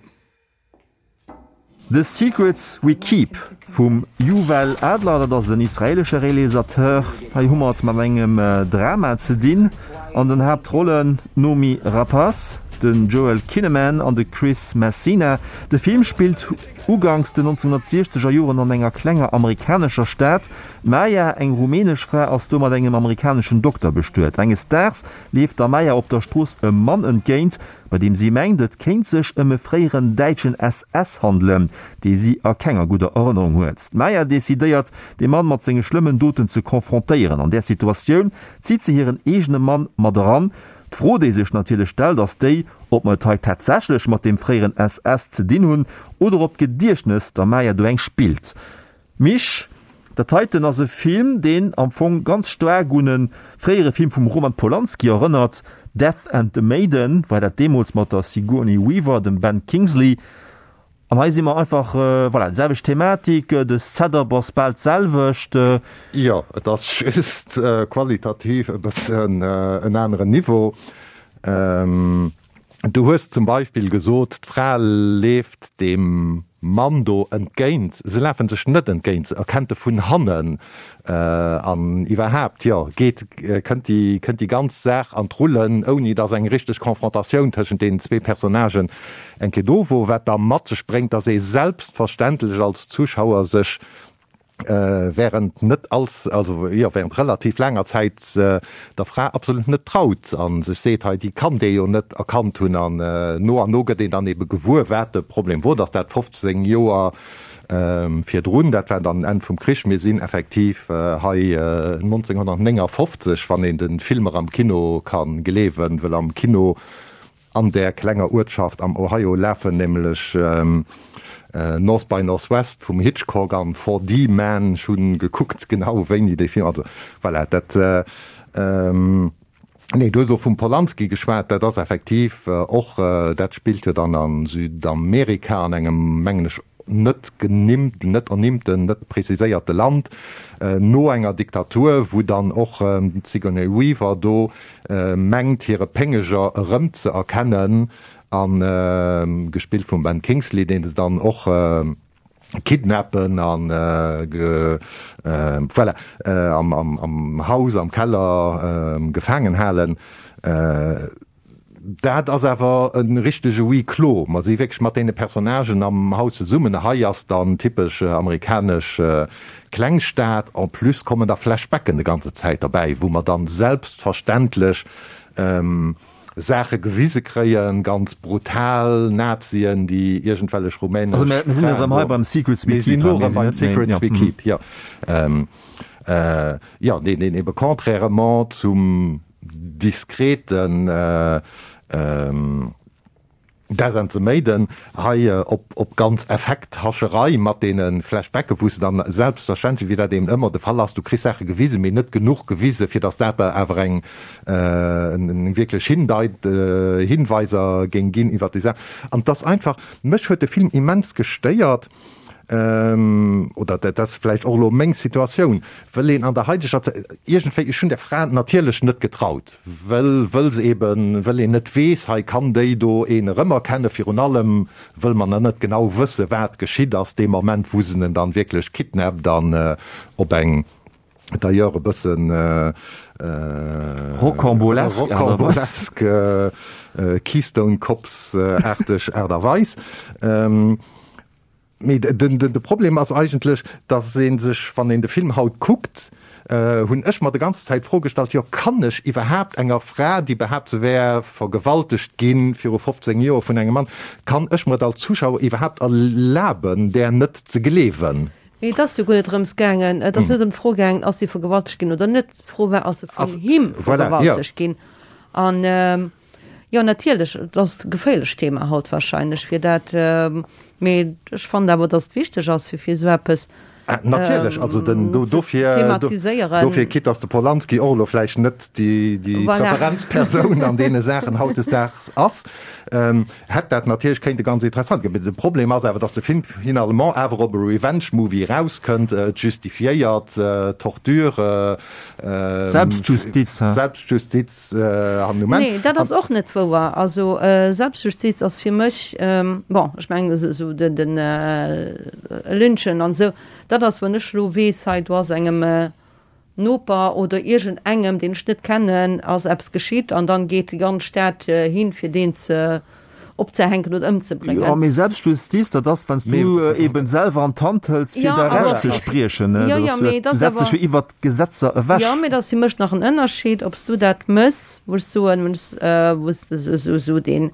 The Secrets We Keep vum Juval Adler, dat ass en israeelesche Realisateur. Hei hu mer et mat engem Drama ze dinn. An den Haaptrollen d'Noomi Rapace, den Joel Kinnaman an de Chris Messina. De Film spillt uganks den nonzénhunnertsiechzeger Joren an enger klenger amerikanescher Stad. D'Maya, eng rumänesch Fra, ass do mat engem amerikaneschen Dokter bestuet. Enges Daags leeft der Maya op der Strooss e Mann entgéint, bei deem si mengt, et kéint sech ëm e fréieren däitschen S S handelen, dee si a kenger gudder Erënnerung huet. D'Maya decidéiert, de Mann mat senge schlëmmen Doten ze confrontéieren. An där Situatioun zitt si hiren eegene Mann mat eran. D'Fro, déi sech natierlech stellt, ass déi, ob mer et hei tatsächlech mat deem fréieren S S ze dinn hunn oder ob d'Gediechtnes der Maya do eng spillt. Misch, dat heiten ass e Film, deen am Fong ganz staark un e fréiere Film vum Roman Polanski erënnert, Death and the Maiden, war dat deemools mat der Sigourney Weaver, dem Ben Kingsley. An hei si mer einfach, voilà, déi selwecht Thematik, de Setup ass bal d'selwecht.
Jo, et ass just qualitativ e bëssen en aneren Niveau. Du hues zum Beispill gesot, d'Fra leeft deem Mann do entgéint. Se lafe sech net entgéint, se erkennt e vun hannen. An iwwerhaapt, jo, geet, kënnt déi, kënnt déi ganz Saach an d'Rullen, ouni datt eng richteg Confrontatioun tëschent deenen zwee Personnagen eng Kéier do wor, wat da mat sech bréngt, datt ee selbstverständlech als Zuschauer sech während net als, also jo, während relativ laanger Zäit der Fra absolut net traut a sech seet, hei, déi kann dee jo net erkannt hunn. An no an no gëtt een dann ebe gewuer, wat de Problem wor, datt dat fofzéng Joer virdrun, dat war dann Enn vum Krich, mir sinn effektiv hei neunzehnhundertneunundfünfzig, wann een de Filmer am Kino ka gleewen, well am Kino an där klenger Uertschaft am Ohio lafen nämlech North by Northwest vum Hitchcock an four D Man, ech hunn gekuckt genau wéini dee Film, also voilà, dat nee, du hues och vum Polanski geschwat, dat ass effektiv och, dat spillt jo dann a Südamerika an engem, mengen ech, net genimmt, net ernimmten, net preziséierte Land, no enger Diktatur, wou dann och d'Sigourney Weaver do mengt, hire Péngeger erëmzeerkennen, a gespillt vum Ben Kingsley, deen se dann och kidnappen an voilà, am Haus, am Keller gefaangen halen. Dat ass awer e richtege Huis clos. Mer si wierklech mat deene Personnagen am Haus zesummen. Hei ass dann typesch amerikanesch Klengstad. En plus kommen da Flashbacken de ganze Zäit derbäi, wou mer dann selbstverständlech Saache gewise kréien, ganz brutal Nazien, déi iergendwellech rumänesch
Also mir sinn erëm hei beim Secrets We
Mir sinn
Keep,
elo
mir
erëm
sinn
beim
net méi,
Secrets
ja.
We Keep, jo. Jo, deen, deen ebe contrairement zum diskreten Death and the Maiden hei op, op ganz Effekthascherei mat deene Flashbacken, wou s de dann selbstverständlech, wéi dat eben ëmmer de Fall ass, du kriss Saache gewisen, mee net genuch gewisen, fir datt dat der awer eng, eng wierklech Hindeit, Hinweiser géing ginn iwwert déi Saach. An 't ass einfach, mech huet de Film immens gestéiert, oder dat ass vläicht och elo meng Situatioun, wëll een an der haideger Zäit, iergendwéi, ech hunn der Fra natierlech net getraut, wëll, wëll se eben, wëll een net weess, hei kann déi do een erëmerkennen, virun allem wëll mer nach net genau wësse wat geschitt ass dee Moment, wou se en dann wierklech kidnappt an op eng d'ailleurs e bëssen
Rocambolesque Aart a Weis.
rocambolesque Keystone Cops-aarteg Aart a Weis. Mee de Problem ass eigentlech, dass ee sech, wann een de Film haut kuckt, hunn ech mer de ganze Zäit d'Fro gestallt, jo kann ech iwwerhaapt enger Fra, déi behaapt se wär vergewaltegt gi viru fofzéng Joer vun engem Mann, kann ech mer et als Zuschauer iwwerhaapt erlaben, där net ze gleewen?
Mee et ass jo guer net drëms gaangen, et ass net ëm d'Fro gaangen, ass si vergewaltegt ginn oder net. D'Fro war, ass se vun him vergewaltegt ginn? An jo, natierlech, et ass e geféierlecht Thema haut wahrscheinlech, fir dat, mee ech fannen awer, datt et wichteg ass, fir fir esou eppes
Natierlech, also den do dofir
thematiséieren.
Dofir, quitte dass de Polanski och elo vläicht net déi déi
Voilà.
Referenzpersoun an deene Saachen hautdesdaags ass, hätt dat natierlech kéinte ganz interessant ginn. Mee de Problem ass awer, dass de Film finalement awer op e Revenge-Movie erauskënnt, et justifiéiert d'Torture,
D'Selbstjustiz, hein.
Selbstjustiz an um Enn.
Nee, dat ass och net wouer. Also Selbstjustiz ass fir mech, bon, ech mengen esou den den Lynchen an esou, dat ass, wann ech elo weess, hei do ass engem Noper oder iergendengem, deen ech net kennen, ass eppes geschitt an dann geet déi ganz Stad hin, fir deen ze opzehänken oder ëmzebréngen.
Jo, mee Selbstjustiz, dat ass, wann s du eben selwer an d'Hand hëls, fir
Ja,
däi
awer
Recht ze spriechen.
Jo, jo, mee
Du
dat ass
setz dech
awer
jo iwwert d'Gesetzer ewech.
Jo, mee dat ass fir mech nach en Ënnerscheed, ob s du dat mëss, wou ech soen, wou s, wou s de esou, esou deen,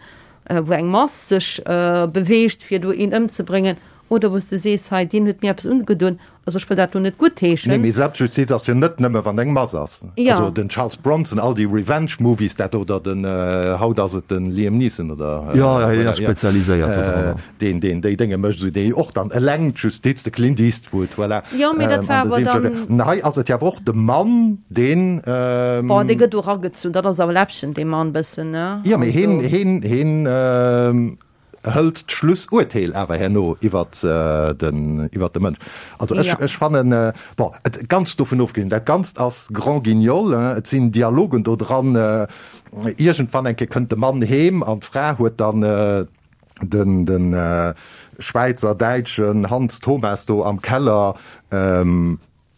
wou eng Mass sech beweegt, fir do een ëmzebréngen, Oder wou s de sees, hei, deen huet mir eppes ungedoen, also ech wëll dat elo net guttheeschen.
Nee, mee Selbstjustiz ass jo net nëmme wann eng Mass ass.
Jo.
Also den Charles Bronson, all déi Revenge Movies, dat oder den, haut ass et den Liam Neeson oder,
Jo, jo, hien ass spezialiséiert do dran.
deen, deen déi Dénge mécht, esou déi och dann eleng d'Justiz, de Clint Eastwood, voilà.
Jo, mee dat war awer dann.
An hei ass et jo awer och de Mann, deen.
Bon, dee gëtt do eragezunn, dat ass awer Läppchen, dee Mann bëssen, ne?
Jo, mee heen, heen, heen. Hëlt d'Schlussurteel awer herno iwwert den, iwwert de Mënsch. Also ech, ech fannen, bon, et ganz dovun ofgesinn, dat Ganzt ass Grand Guignol, et sinn Dialogen do dran, iergendwann eng Kéier kënnt de Mann heem an d'Fra huet dann den, den Schwäizer, Däitschen Hans Thomas do am Keller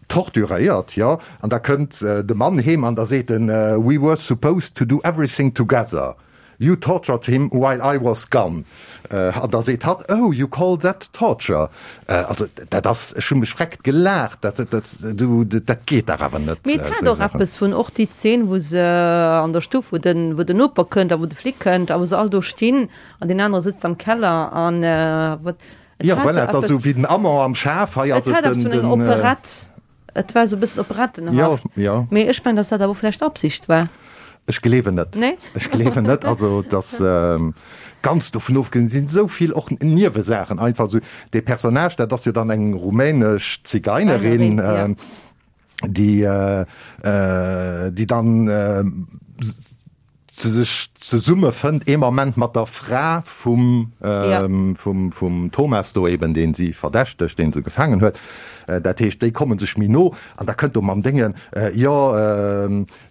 torturéiert, jo, an da kënnt de Mann heem an da seet en, We were supposed to do everything together. You tortured him while I was gone. An da seet hatt, Oh, you call that torture? Also dat ass, ech hu mech vreckt gelaacht, dat, dat, du, dat geet dach awer net.
Mee et hat och eppes vun, och déi Zeen, wou se an der Stuff, wou den, wou den Noper kënnt a wou de Flic kënnt a wou se all do stinn an deen anere sëtzt am Keller an wat, et
Jo,
hat
voilà,
sou
et ass
eppes,
esou wéi den Amant am Schaf, hei ass
et
et
hat eppes
den,
vun enger
den.
Operett. Et war esou e bëssen operettenhaft.
Jo, jo.
Mee ech mengen, dass dat awer och vläicht Absicht war.
Ech gleewen net.
Nee?
Ech gleewen net. Also dass ganz dovun ofgesinn sinn esou vill och Niewesaachen einfach esou. Dee Personnage, dat ass jo dann eng rumänesch Zigeinerin, déi déi dann sech zesummefënnt ee Moment mat der Fra vum vum vum Thomas do eben, deen si verdächtegt, deen se gefaangen huet. Dat heescht, déi komme sech méi no an da kënnt do mam Déngen, jo,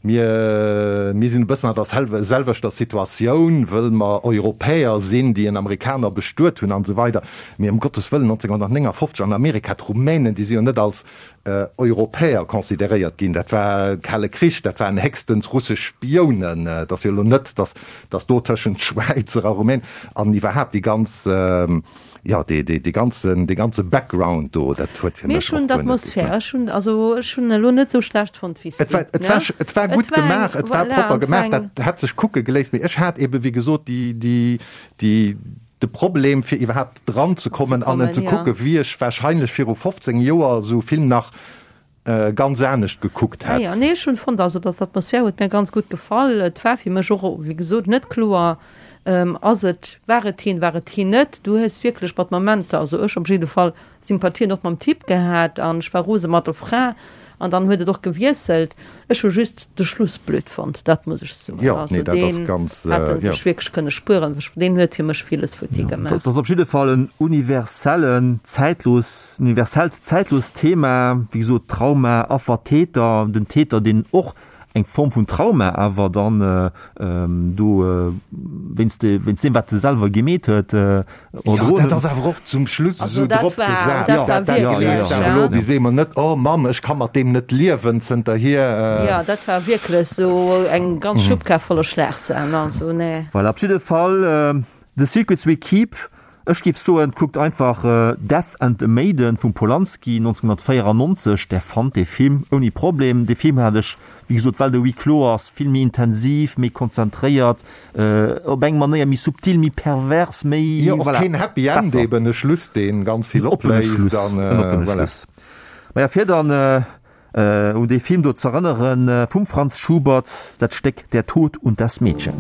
mir, mir sinn e bëssen an der selwechter Situatioun, wëll mer Europäer sinn, déi en Amerikaner bestuet hunn an esou weider. Mee ëm Gottes Wëllen, nonzénghunnertnéngafofzeg an Amerika, d'Rumänen, déi si jo net als Europäer consideréiert ginn. Dat war Kale Krich, dat waren héchstens russesch Spiounen. Et ass jo elo net, datt, datt do tëschent Schwäizer a Rumänen an iwwerhaapt déi ganz, Jo, dee, dee, dee ganzen, dee ganze Background do, dat huet fir
Mee
mech
ech hunn
och guer net
d'Atmosphär,
geklappt.
ech hunn, also ech hunn elo net esou schlecht fonnt wéi s
Et
du,
war, et
ne?
war, et war
Et
gutt
war eng,
gemaach, et war
voilà,
propper
et war
gemaach,
eng.
dat hätt sech kucke geléisst, mee ech hat ebe wéi gesot déi, déi, déi, de Problem fir iwwerhaapt dran ze kommen an en
Ze
ze
kommen,
kucke
jo.
wéi ech wahrscheinlech viru fofzéng Joer esou Film nach ganz anescht gekuckt
Ah
hätt.
jo, nee, ech hunn fonnt, also dass d'Atmosphär huet mir ganz gutt gefall. Et war fir mech och, wéi gesot, net kloer, ass et, war et hien, war et hien net. Du hues wierklech mat Momenter, also ech op jidde Fall, Sympathien och mam Typ gehat an ech war rose mat der Fra an dann huet et och gewiesselt. Ech hu just de Schluss blöd fonnt, dat muss ech soen.
Jo,
Also
nee, dat ass
deen
ganz,
hätt en
jo.
sech wierklech kënne spueren, deen huet fir mech villes futti gemaach.
Dat ass op jidde Fall en universellen, zäitlos, universellt, zäitlost Thema, wéi gesot, Trauma, Affer, Täter, den Täter, deen och eng Form vun Trauma awer dann do wéinst wéinst deem, wat e selwer gemeet huet,
Jo, dat ass awer och zum Schluss
Also
esou
dat
drop
war,
gesat.
dat war
Dat dat
wierklech,
gleeft awer
ja.
elo bis eemol net, oh Mamm, ech ka mat deem net liewen zënterhier.
Jo, dat war wierklech esou eng ganz Schubkar voller Schlagsahn, also nee.
Voilà, op jidde Fall, The Secrets We Keep Ech géif soen, kuckt einfach Death and the Maiden vum Polanski nonzénhunnertvéierannonzeg, där fannt dee Film ouni Problem. Dee Film hat ech, wéi gesot, well de Huis clos ass, vill méi intensiv, méi konzentréiert, op eng Manéier méi subtil, méi pervers, méi,
Jo, och
voilà,
keen Happy End
besser.
Eben e Schluss, dee ganz vill
En oppene
opléist
Schluss,
an,
en oppene
voilà.
Schluss. Maja, fir dann un dee Film do z'erënneren, vum Franz Schubert dat Stéck Der Tod und das Mädchen.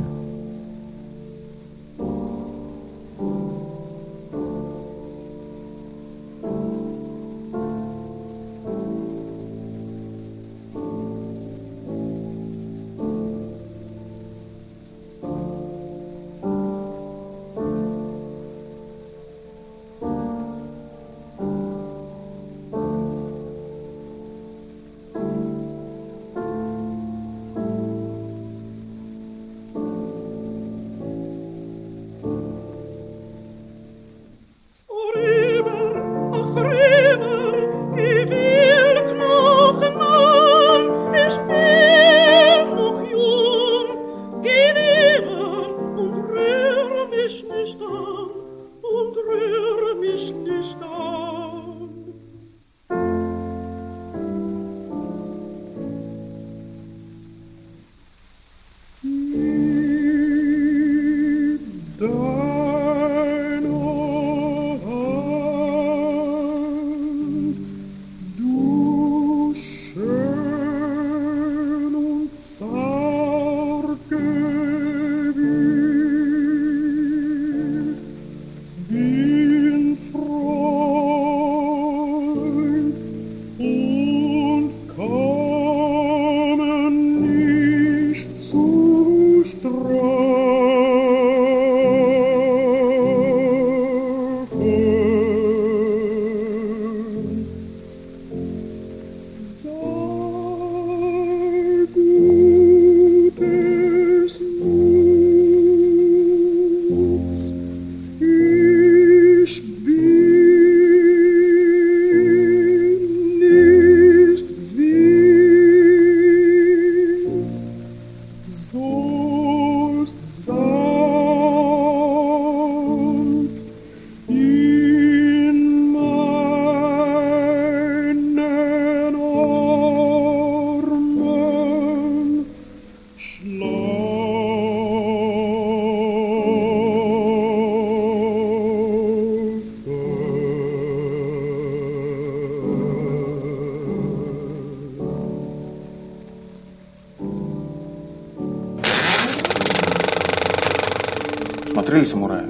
Смотрели «Самурая»?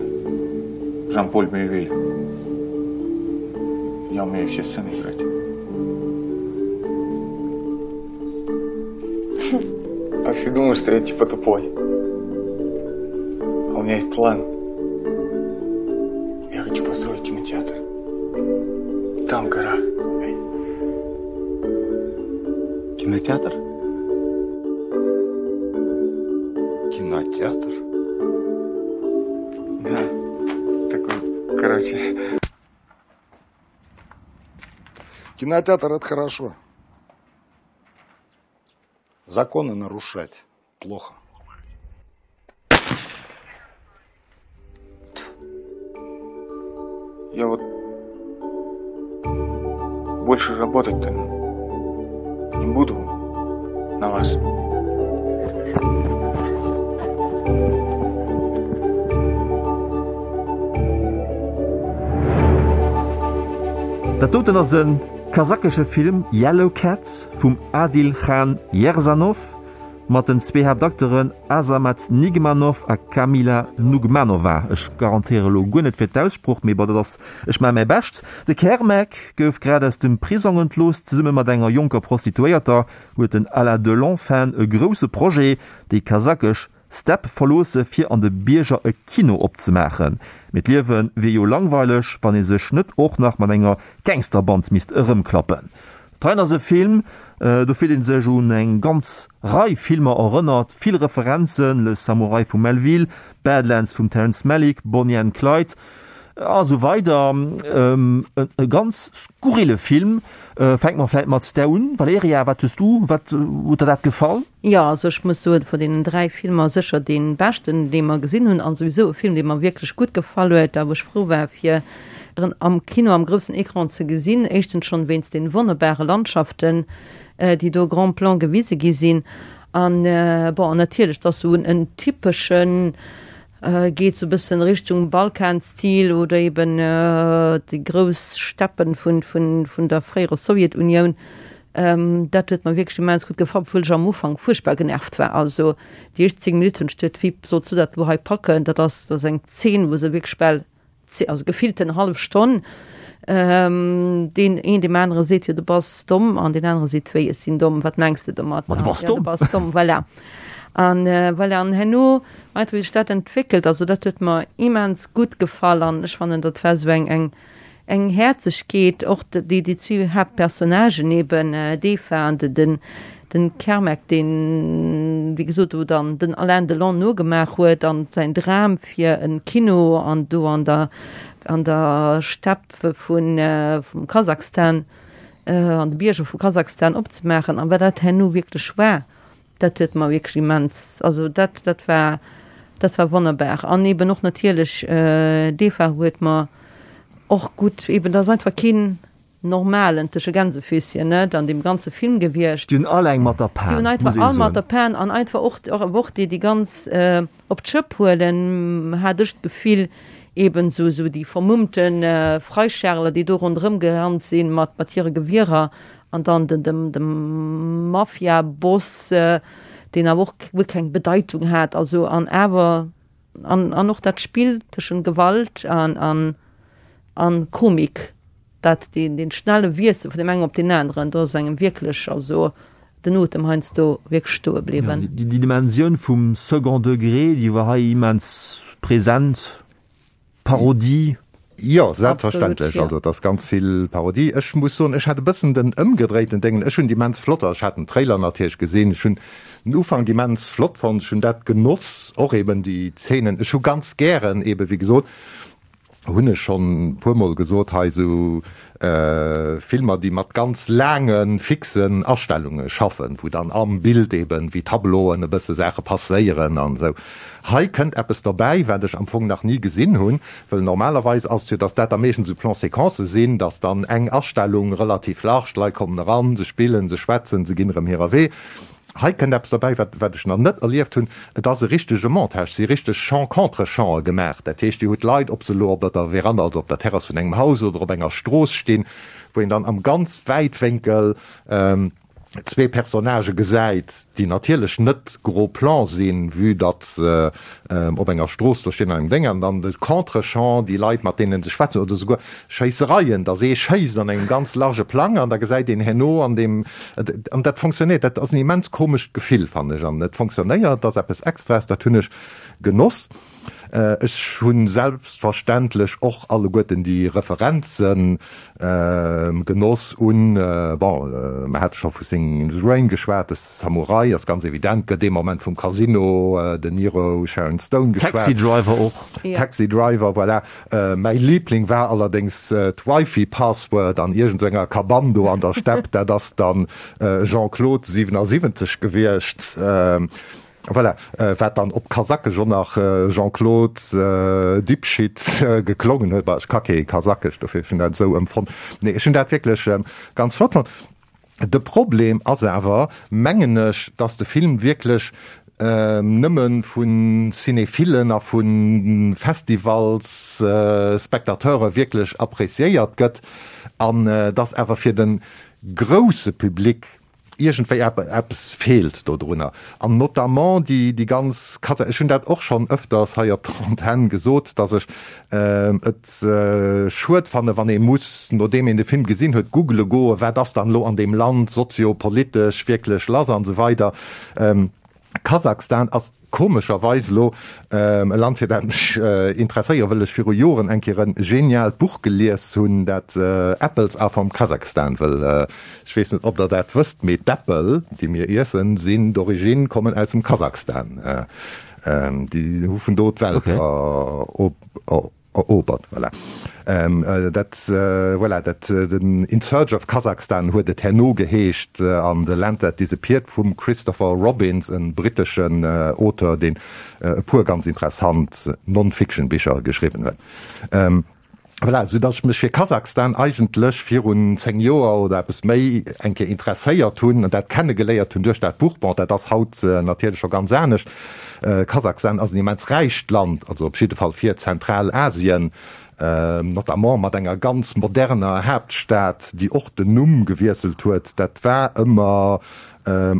Жан-Поль Мельвиль. Я умею все сцены играть. А все думают, что я типа тупой. А у меня есть план. Я хочу построить кинотеатр. Там гора.
Кинотеатр? Кинотеатр?
Да. Такой, короче.
Кинотеатр – это хорошо. Законы нарушать плохо.
Я вот больше работать-то не буду на вас.
Dat doten ass e kasakesche Film, Yellow Cats vum Adilkhan Yerzhanov mat den zwee Haaptakteuren Azamat Nigmanov a Kamila Nugmanova. Ech garantéiere lo guer net fir d'Aussprooch, mee bon, dat ass, ech maache mäi Bescht. De Kermek gouf grad aus dem Prisong entlooss. Zesumme mat enger jonker Prostituéierter huet den Alain Delon-Fan e grousse Projet, déi kasakesch Stepp verloosse fir an de Bierger e Kino opzemaachen. Mee d'Liewe wier jo langweileg, wann ee sech net och nach mat enger Gangsterband misst erëmklappen. Dat heien ass e Film, do fillt ee sech un eng ganz Rei Filmer erënnert, vill Referenzen, Le Samouraï vum Melville, Badlands vum Terrence Malick, Bonnie and Clyde. a sou weider. E ganz skurrile Film. Fänke mer vläicht mat där un. Valerija, wat hues du, wat huet der dat gefall?
Jo, also ech muss soen, vun deenen dräi Filmer sécher dee beschten, dee mer gesinn hunn, an souwisou e Film, dee mer wierklech gutt gefall huet a wou ech frou war, fir en am Kino am groussen Ecran ze gesinn. Éischtens schonn wéinst den wonnerbare Landschaften, déi do grand plan gewise gi sinn. An bon, an natierlech, et ass esou en typeschen, geet sou e bëssen Richtung Balkan-Stil oder eben déi grouss Steppen vun, vun, vun der fréierer Sowjetunioun. Dat huet mer wierklech immens gutt gefall, obwuel ech am Ufank fuerchtbar genervt war. Also déi éischt zéng Minutten hunn ech geduet, wéi solls du dat elo hei packen? Dat ass, dat ass eng Zeen, wou se wierklech bal also gefillten hallef Stonn, deen een deem anere seet, jo du bass domm, an deen anere seet, wéi ech sinn domm, wat mengs de domat?
Ma du bass domm.
Du bass domm, voilà. An voilà, an herno einfach wéi sech dat entwéckelt, also dat huet mer immens gutt gefall an ech fannen dat war esou eng eng eng Häerzegkeet, och déi déi zwee Haaptpersonnagen eben, d'Eva an de den Den Kermec, deen, wéi gesot, do dann den Alain Delon nogemaach huet an säin Dram fir e Kino an do an der, an der Stepp vun, vum Kasachstan, an de Bierger vu Kasachstan opzemaachen. An wat dat herno wierklech war, dat huet mer wierklech immens, also dat, dat war, dat war wonnerbar. An eben och natierlech d'Eva huet mer och gutt, eben, dat ass einfach keen, normalen tësche Gänsefüßchen net an deem ganze Film gewiescht.
Déi hunn all eng mat der
Déi hunn
Pan,
einfach
muss ee
all mat
soen.
der Pan an einfach och och och déi déi ganz op d'Schëpp huelen, hat ech d'Gefill, eben esou esou déi vermummte Freischärler, déi do ronderëm gerannt sinn mat mat hire Gewierer an dann den dem dem Mafia-Boss, deen awer och guer keng Bedeitung hat, also an awer an an och dat Spill tëschent Gewalt an an an Komik. Dat deen, deen schnelle Wiessel vun deem engen op deen aneren, do ass engem wierklech also den Otem heiansdo wierklech stoe bliwwen.
Ja, déi Dimensioun vum Second Degré, déi war hei immens present. Parodie.
Jo, selbstverständlech. Also et ass ganz vill Parodie. Ech muss soen, ech hat e bëssen den ëmgedréiten Déngen. Ech hunn déi immens flott, ech hat den Trailer natierlech gesinn, ech hunn den Ufank immens flott fonnt, ech hunn dat genoss, och eben déi Zeenen. Ech hu ganz gären eben, wéi gesot, hunn ech schonn e puermol gesot hei, esou Filmer, déi mat ganz laange fixen Astellunge schaffen, wou dann am Bild eben wéi Tableauen e bësse Saache passéieren an esou. Hei kënnt eppes derbäi, wat ech am Fong nach ni gesinn hunn, wëll normalerweis ass et jo, datt dat da meeschtens esou Plan-séquencë sinn, datt dann eng Astellung relativ large, d'Leit kommen eran, se spillen, se schwätzen, se ginn erëm hirer Wee. Hei kënnt eppes derbäi, wat, wat ech nach net erlieft hunn, Et ass e richtege Montage, et si richteg Champ-contre-champe gemaach. Dat heescht, Dir hutt Leit, ob se elo op der Veranda, also op der Terrass vun engem Haus oder op enger Strooss stinn, wou een dann am ganz Wäitwénkel zwee Personnagë gesäit, déi natierlech net gros plan sinn, vue datt se op enger Strooss do stinn an engem Déng, an dann de Contre-champ, déi Leit, mat deenen se schwätzen, oder souguer Schéissereien, datt ee schéisst an engem ganz large Plang an da gesäit een herno an deem, an dat fonctionnéiert, dat ass en immens komescht Gefill, fannen ech, an et fonctionnéiert, dat ass eppes Extraes, dat hunn ech genoss. Ech hu selbstverständlech och alleguerten déi Referenze genoss un, bon, mer hate scho vu Singin' in the Rain geschwat, de Samurai ass ganz evident, gëtt dee Moment vum Casino, De Niro, Sharon Stone geschwat.
Taxi Driver och.
Taxi Driver, voilà. Mäi Liebling war allerdéngs d'Wifi-Password an iergend esou enger Cabane do an der Stepp, dat ass dann Jean-Claude siwenasiwwenzeg gewiescht. Voilà, wat dann op Kasakesch och nach Jean-Claude Dipshit geklongen huet. Bah, ech ka kee Kasakesch, dofir ech hunn dat esou empfonnt. Nee, ech hunn dat wierklech ganz flott fonnt. De Problem ass awer, mengen ech, dass de Film wierklech nëmme vu Cinéphilen a vu Festivalsspectateure wierklech appréciéiert gëtt an dass awer fir de grousse Public Iergendwéi eppes feelt dodrunner, an notamment déi déi ganz Kasa. Ech hunn dat och schonn ëfters hei op der Antenn gesot, datt ech et schued fanne wann ee muss, nodeem een de Film gesinn huet, googele goen, wat ass dann elo an deem Land soziopolitesch wierklech lass an esou weider. Kasachstan ass komescherweis elo e Land, fir dat mech interesséiere, wëll ech viru Joren eng Kéier e geniaalt Buch gelies hunn, dat Apples are from Kazakhstan, wëll ech weess net, ob Der dat wësst, mee d'Äppel, déi mir iessen, sinn d'Origine, kommen aus dem Kasachstan. Déi hu vun do d'Welt Erobert, voilà. Dat, voilà, dat, den In Search of Kazakhstan huet et herno geheescht, an The Land That Disappeared vum Christopher Robins, e britteschen Auteur, deen e puer ganz interessant Non-Fiction-Bicher geschriwwen huet. Voilà, sou dass ech mech fir Kasachstan eigentlech virun zéng Joer oder eppes méi eng Kéier interesséiert hunn an dat kennegeléiert hunn duerch dat Buch. Bon, dat ass haut natierlech scho ganz anescht. Kasachstan ass en immens räicht Land, also op jidde Fall fir Zentralasien, notamment mat enger ganz moderner Haaptstad, déi och den Numm gewiesselt huet. Dat war ëmmer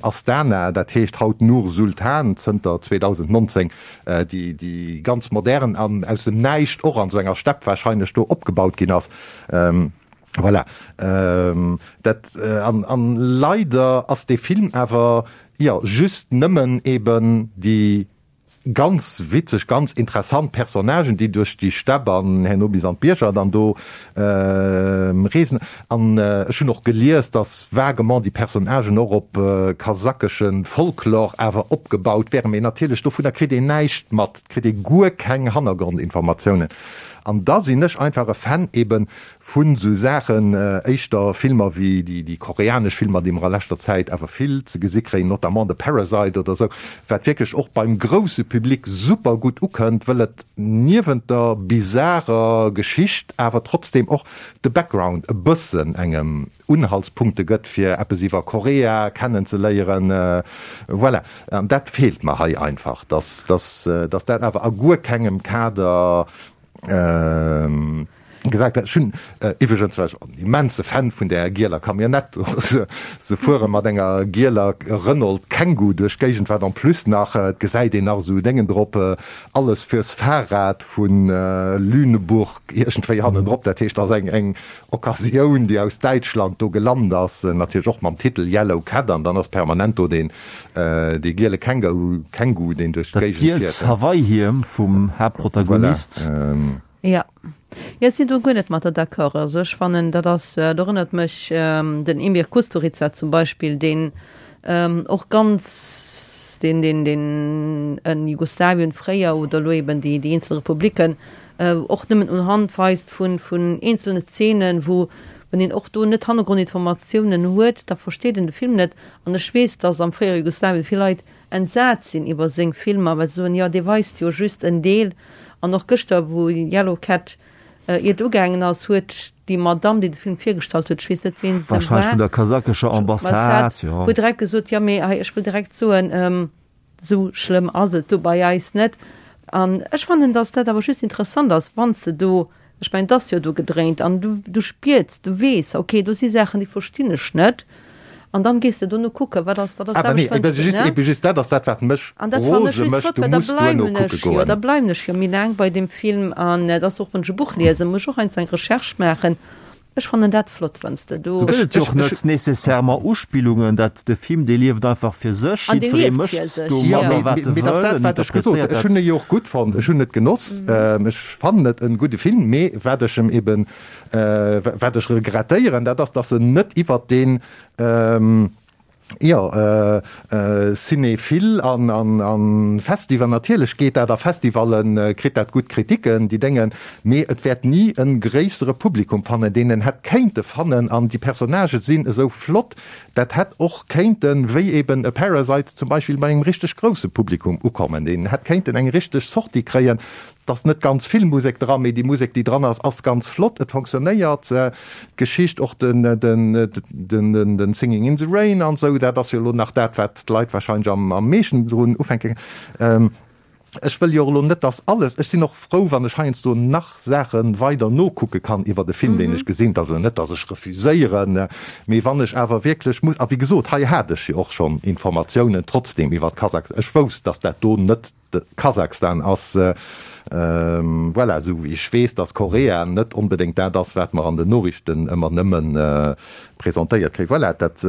Astana, dat heescht haut Nur-Sultan zënter zweedausendnonzéng, déi déi ganz modern an aus dem Näischt och an esou enger Stepp wahrscheinlech do opgebaut ginn ass. Voilà. Dat, an, an leider ass dee Film awer, jo, just nëmmen eben déi ganz witzeg, ganz interessant Personnagen, déi duerch déi Stepp an herno bis an d'Bierger dann do reesen. An ech hunn och gelies, dass vaguement déi Personnagen och op kasakesche Folklore awer opgebaut wären, mee natierlech dovunner kritt een näischt mat, et kritt ee guer keng Hannergrondinformatiounen. An da sinn ech einfach e Fan eben vun esou Saachen, éischter Filmer wéi déi koreanesch Filmer, déi mer a leschter Zäit awer vill ze gesi kréien, notamment de Parasite oder esou, wat wierklech och beim grousse Public super gutt ukënnt, wëll et niewent der bizarer Geschicht awer trotzdeem och de Background e bëssen engem Unhaltspunkte gëtt, fir eppes iwwer Korea kennenzeléieren. Voilà, an dat feelt mer hei einfach, dass dass dat awer a guer kengem Kader Gesagt, ech hunn iwwregens war ech en immense Fan vun där gieler Camionnette do. Se fuere mat enger gieler Renault Kangoo duerch d'Géigend, wat en plus nach, et gesäit een nach esou Déngen drop, alles fürs Fahrrad vu Lüneburg iergendwéi hannendrop. Dat heescht, dat ass eng eng Occasioun, déi aus Däitschland do gelant ass, natierlech och mam Titel Yellow Cat, an dann ass permanent do deen dee giele Kangoo, Kangoo, deen duerch
Dat
d'Géigend
gielt
fiert.
Hawaii-Hiem vum Haaptprotagonist.
Voilà.
Jo, jo, ech sinn do guer net mat der d'accord. Also ech fannen, dat ass, dat erënnert mech den Emir Kusturica zum Beispill, deen och ganz, deen, deen, deen en Jugoslawien fréier oder elo eben déi, déi eenzel Republiken och nëmmen unhand weist vun, vun eenzelne Zeenen, wou, wann een och do net Hannergrondinformatiounen huet, da versteet een de Film net. An ech weess, datt am fréiere Jugoslawien vill Leit entsat sinn iwwer seng Filmer, well se soen, jo, dee weist jo just en Deel. An och gëschter, wou Yellow Cat iert ugaangen ass, huet déi Madamm, déi de Film virgestallt huet, ech weess net, ween se war,
Wahrscheinlech vun der kasachescher Ambassade, jo.
Huet direkt gesot, jo, mee hei, ech wëll direkt soen, esou schlëmm ass et do bei eis net. An ech fannen, datt dat awer just interessant ass, wann s de do, ech mengen, et ass jo do gedréint an du, du spiers, du weess, okay, do si Saachen, déi verstinn ech net. An dann gees de dono kucken, wat ass, dat ass
Awer nee,
dat,
eben just,
ne?
eben just dat ass dat, wat mech
An dat fannen ech
rose
just
mécht,
flott,
du
well da
muss duerno
bleiwen
kucke
ech jo,
goen.
da bleiwen ech jo méi laang bei deem Film. An et ass och, wann ech e Buch liesen, muss ech och heiansdo eng Recherche maachen. Ech fannen dat flott, wann s de do.
Do gëtt et jo och net nécessairement Uspillungen, dat de Film, dee lieft einfach fir sech,
An dee
jiddweree
lieft fir
mécht
sech,
Jo,
domadder
mee,
wat e
mee dat ass
wëll,
dat,
en
wat ech gesot hunn.
interpretéiert
Ech hunn
dat.
e jo och gutt fonnt, ech hunn et genoss, ech fannen et e gudde Film, mee wat ech em eben, wat ech regrettéieren, dat ass, dass en net iwwert deen, Jo, Cinéphile an Festival, natierlech geet dat a Festivallen, kritt dat gutt Kritiken, déi Déngen, mee et wäert ni e gréissere Publikum fannen, deen en hätt kéinte fannen. An déi Personnagë sinn esou flott, dat hätt och kéinten, wéi eben e Parasite zum Beispill, bei engem richteg grousse Publikum ukommen, deen hätt kéinten eng richteg Sortie kréien. Et ass net ganz vill Musek dran, mee déi Musek, déi dran ass, ass ganz flott. Et fonctionnéiert, d'Geschicht, och den den Singing in the Rain an esou, dat ass jo elo nach dat, wat d'Leit wahrscheinlech am am meeschten drun ufänken. Ech wëll jo och elo net, dass alles, ech sinn och frou, wann ech heiansdo nach Saache weider nokucke kann iwwer e Film, deen ech gesinn. Et ass elo net, dass ech refuséieren, mee wann ech awer wierklech muss, a wéi gesot, hei hat ech jo och schonn Informatiounen trotzdem iwwer Kasachstan, ech wousst, dass dat do net De Kasachstan ass, voilà, esou wéi ech weess, datt Korea net onbedéngt dat ass, wat mer an den Noriichten ëmmer nëmme presentéiert kréien. Voilà, dat.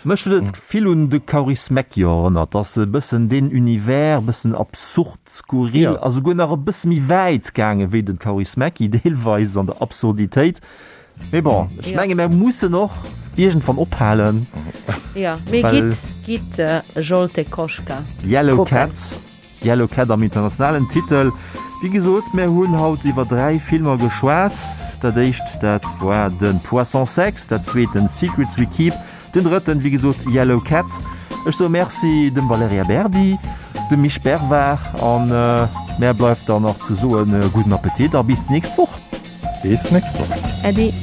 Mech huet et vill un de Kaurismäki erënnert, ass e bëssen deen Univers, e bëssen absurd, skurril a souguer nach e bësse méi wäit gaange wéi de Kaurismäki deelweis an der Absurditéit. Mee bon, ech menge mär mussen och iergendwann ophalen.
Jo, mee gitt, gitt Zsolt Koska
Yellow
kucken.
Cats. Yellow Cat am internationalen Titel. Wéi gesot, mär hunn haut iwwer dräi Filmer geschwat. Dat éischt, dat war de Poisson Sex, dat zweet den Secrets We Keep, den drëtten, wéi gesot, Yellow Cat. Ech soe Merci dem Valerija Berdi, dem Misch Bervard an mär bleift dann nach ze soen, gudden Appetit a bis d'nächst Woch.
Bis d'nächst Woch.
Äddi.